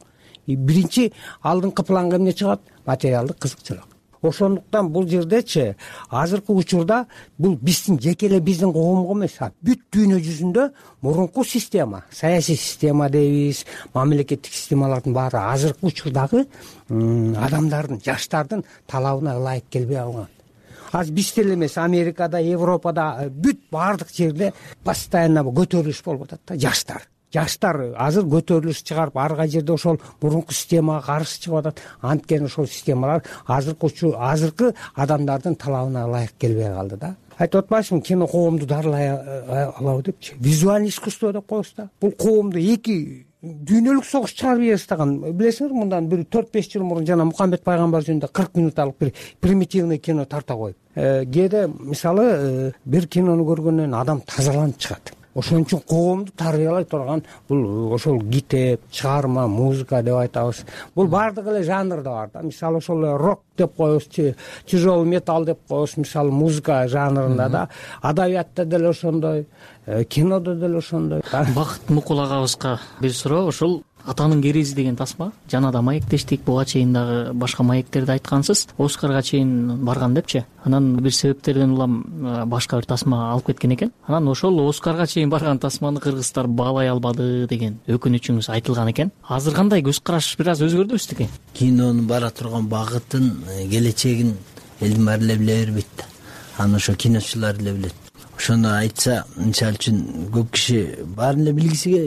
Биринчи алдыңкы планга эмне чыгат? Материалдык кызыкчылык. Ошондуктан бул жердечи азыркы учурда бул биздин жеке эле биздин коомго эмес, бүт дүйнө жүзүндө мурунку система, саясий система дейбиз, мамлекеттик системалардын баары азыркы учурдагы адамдардын, жаштардын талабына ылайык келбей алган. Аз бизде эле эмес, Америкада, Европада, бүт баардык жерде постоянно көтөрүлүш болуп атат да. жаштар азыр көтөрүлүш чыгарып ар кай жерде ошол мурунку системага каршы чыгып атат. Анткени ошол системалар азыркы адамдардын талабына ылайык келбей калды да. Айтып атпайсыңбы, кино коомду дарылай алабы депчи. Визуальный искусство деп коебуз да. Бул коомду эки дүйнөлүк согуш чыгарып ийе баштаган. Билесиңер, мындан бир 4-5 жыл мурун жана Мухаммед пайгамбар жөнүндө 40 минутталык бир примитивный кино тарта коюп. Кээде мисалы бир кинону көргөндөн адам тазаланып чыгат. Ошон үчүн коомду тарбиялай турган бул ошол китеп, чыгарма, музыка деп айтабыз. Бул бардык эле жанрда бар да. Мисалы ошол рок деп коебуз, тяжелый металл деп коебуз, мисалы музыка жанрында да. Адабиятта деле ошондой, кинодо деле ошондой. Бакыт Мукул агабызга бир суроо, ошол Атанын керези деген тасма жана да маектештик, буга чейин дагы башка маектерди айткансыз, Оскарга чейин барган депчи. Анан бир себептерден улам башка бир тасма алып кеткен экен. Анан ошол Оскарга чейин барган тасманы кыргыздар баалай албады деген өкүнүчүңүз айтылган экен. Азыр кандай көз караш бир аз өзгөрдү экен? Кинонун бара турган багытын, келечегин элдин баары эле биле бербейт да. Аны ошо киночулар эле билет. Ошону айтса, мисалы үчүн көп киши баарын эле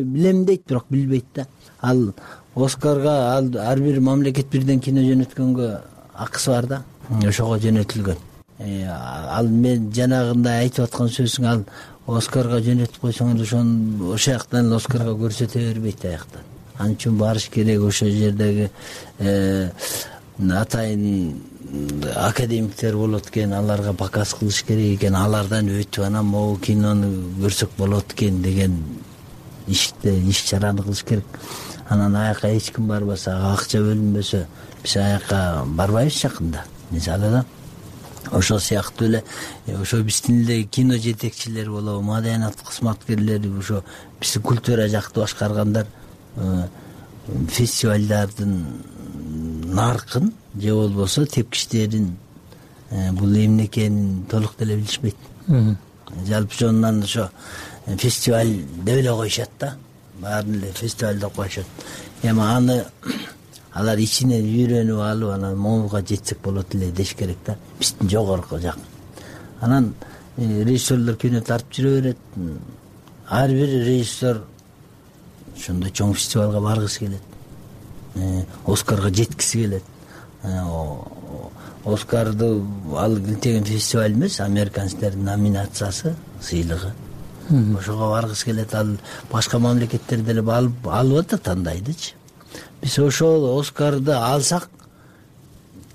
билем дейт, бирок билбейт да. Ал Оскарга ар бир мамлекет бирден кино жөнөткөнгө акысы бар да. Ошого жөнөтүлгөн. Ал мен жанагындай айтып аткан сөзүң, ал Оскарга жөнөтүп койсоң ошол жактан Оскарга көрсөтө бербейт аяктан. Ал үчүн барыш керек ошол жердеги атайын академиктер болот экен, аларга показ кылыш керек экен, алардан өтүп анан могу кинону көрсөк болот экен деген иш чараны кылыш керек. Анан аяка эч ким барбаса, акча бөлүнбөсө, биз аяка барбайбыз жакында. Мисалы да ошол сыяктуу эле ошо биздин эле кино жетекчилери болобу, маданият кызматкерлери, ошо биздин культура жакты башкаргандар фестивалдардын наркын же болбосо тепкичтерин бул эмне экенин толук деле билишпейт. Жалпы жонунан ошо фестиваль деп эле коюшат да. Баарын эле фестиваль деп коюшат. Эми аны алар ичинен үйрөнүп алып, анан могуга жетсек болот эле деш керек да. Биздин жогорку жак. Анан режиссерлор кино тартып жүрө берет. Ар бир режиссер ошондой чоң фестивалга баргысы келет. Оскарга жеткиси келет. Оскарды ал деген фестиваль эмес, американецтердин номинациясы, сыйлыгы. Ошого баргысы келет. Ал башка мамлекеттерде деле алып атат, тандайдычы. Биз ошол Оскарды алсак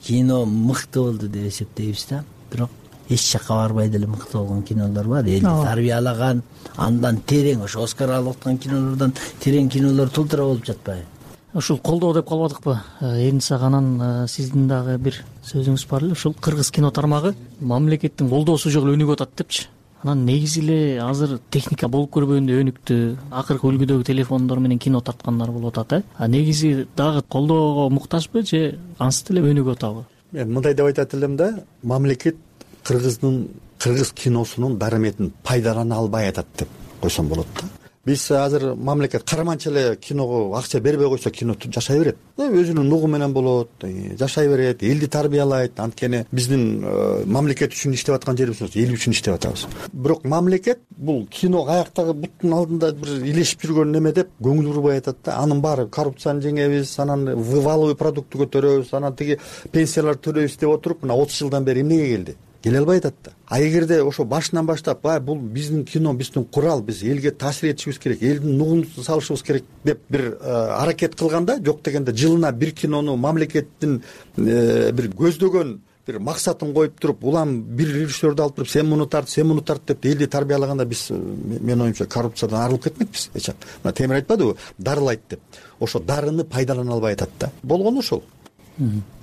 кино мыкты болду деп эсептейбиз да. Бирок эч жакка барбай деле мыкты болгон кинолор бар. Элди тарбиялаган, андан терең, ошо Оскар алып аткан кинолордон терең кинолор тултура болуп жатпайбы? Ушул колдоо деп калбадыкпы? Эниса анан сиздин дагы бир сөзүңүз бар эле. Ушул кыргыз кино тармагы мамлекеттин колдоосу жок эле өнүгүп атат депчи. Анан негизи эле азыр техника болуп көрбөгөндө өнүктү. Акыркы үлгүдөгү телефондор менен кино тарткандар болуп атат, негизи дагы колдоого муктажбы же ансыз деле өнүгүп атабы? Мен мындай деп айтат элем да, мамлекет кыргыз киносунун дарыметин пайдалана албай атат деп койсом болот да. Биз азыр мамлекет карманча эле киного акча бербей койсо, кино жашай берет. Өзүнүн нугу менен болот, жашай берет, элди тарбиялайт. Анткени биздин мамлекет үчүн иштеп аткан жерибиз, эл үчүн иштеп атабыз. Бирок мамлекет бул кино аяктагы буттун алдында бир илешип жүргөн неме деп көңүл бурбай атат да. Анын баары коррупцияны жеңебиз, анан валовый продуктты көтөрөбүз, анан тиги пенсиялар төлөйбүз деп отуруп, мына 30 жылдан бери эмнеге келди? Келе албай атат да. А эгерде ошо башынан баштап, бул биздин кино, биздин курал, биз элге таасир этишибиз керек, элдин нугун салышыбыз керек деп бир аракет кылганда, жок дегенде жылына бир кинону мамлекеттин бир көздөгөн бир максатын коюп туруп, улам бир режиссерду алып туруп, сен муну тарт деп элди тарбиялаганда биз, мен оюмча, коррупциядан арылып кетмекпиз. Мына Темир айтпадыбы, дарылайт деп. Ошо дарыны пайдалана албай атат да. Болгону ошол.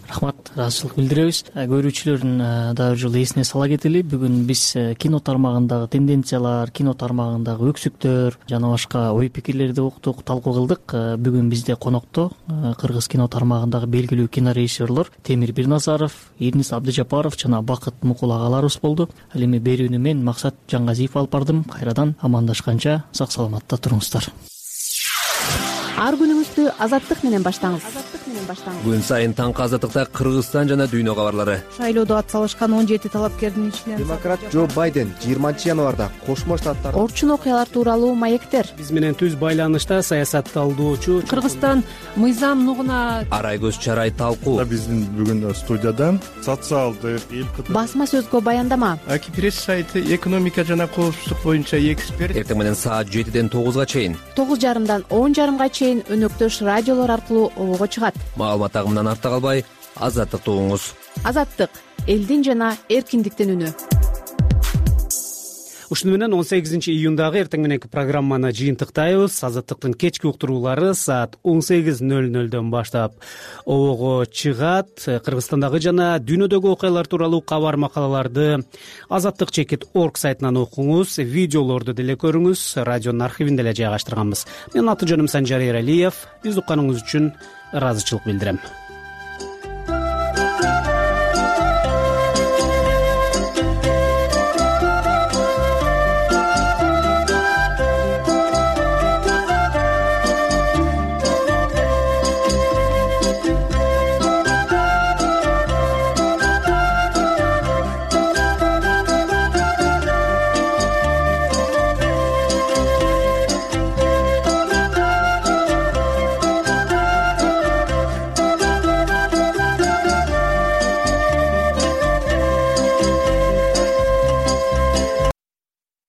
Рахмат, ыраазычылык билдиребиз. Көрүүчүлөрдүн дагы бир жолу эсине сала кетели. Бүгүн биз кино тармагындагы тенденциялар, кино тармагындагы өксүктөр жана башка ой пикирлерди уктук, талкуу кылдык. Бүгүн бизде конокто кыргыз кино тармагындагы белгилүү кинорежиссерлор Темир Бирназаров, Эрнис Абдыжапаров жана Бакыт Мукул агаларыбыз болду. Ал эми берүүнү мен Максат Жангазиев алып бардым. Кайрадан амандашканча сак саламатта туруңуздар. ар күнүңүздү Азаттык менен баштаңыз. Күн сайын таңкы Азаттыкта Кыргызстан жана дүйнө кабарлары. Шайлоодо ат салышкан 17 талапкердин ичинен демократ Джо Байден 20 январда Кошмо Штаттар орчун окуялар тууралуу маектер. Биз менен түз байланышта саясат талдоочу Кыргызстан мыйзам нугуна Арайгөз Чарай талкуу. Биздин бүгүн студияда социалдык басма сөзгө баяндама. Аки пресс сайты экономика жана коопсуздук боюнча эксперт. Эртең менен саат 7ден 9га чейин 9:30дан 10:30га чейин өнөктөш радиолор аркылуу обого чыгат. Маалымат агымынан артта калбай, Азаттыкты угуңуз. Азаттык — элдин жана эркиндиктин үнү. Ушуну менен 18 июндагы эртең мененки программаны жыйынтыктайбыз. Азаттыктын кечки уктуруулары саат 18:00дөн баштап обого чыгат. Кыргызстандагы жана дүйнөдөгү окуялар тууралуу кабар макалаларды azattik.org сайтынан окуңуз, видеолорду деле көрүңүз. Радионун архивин деле жайгаштырганбыз. Менин аты жөнүм Санжар Эралиев. Биз укканыңыз үчүн ыраазычылык билдирем.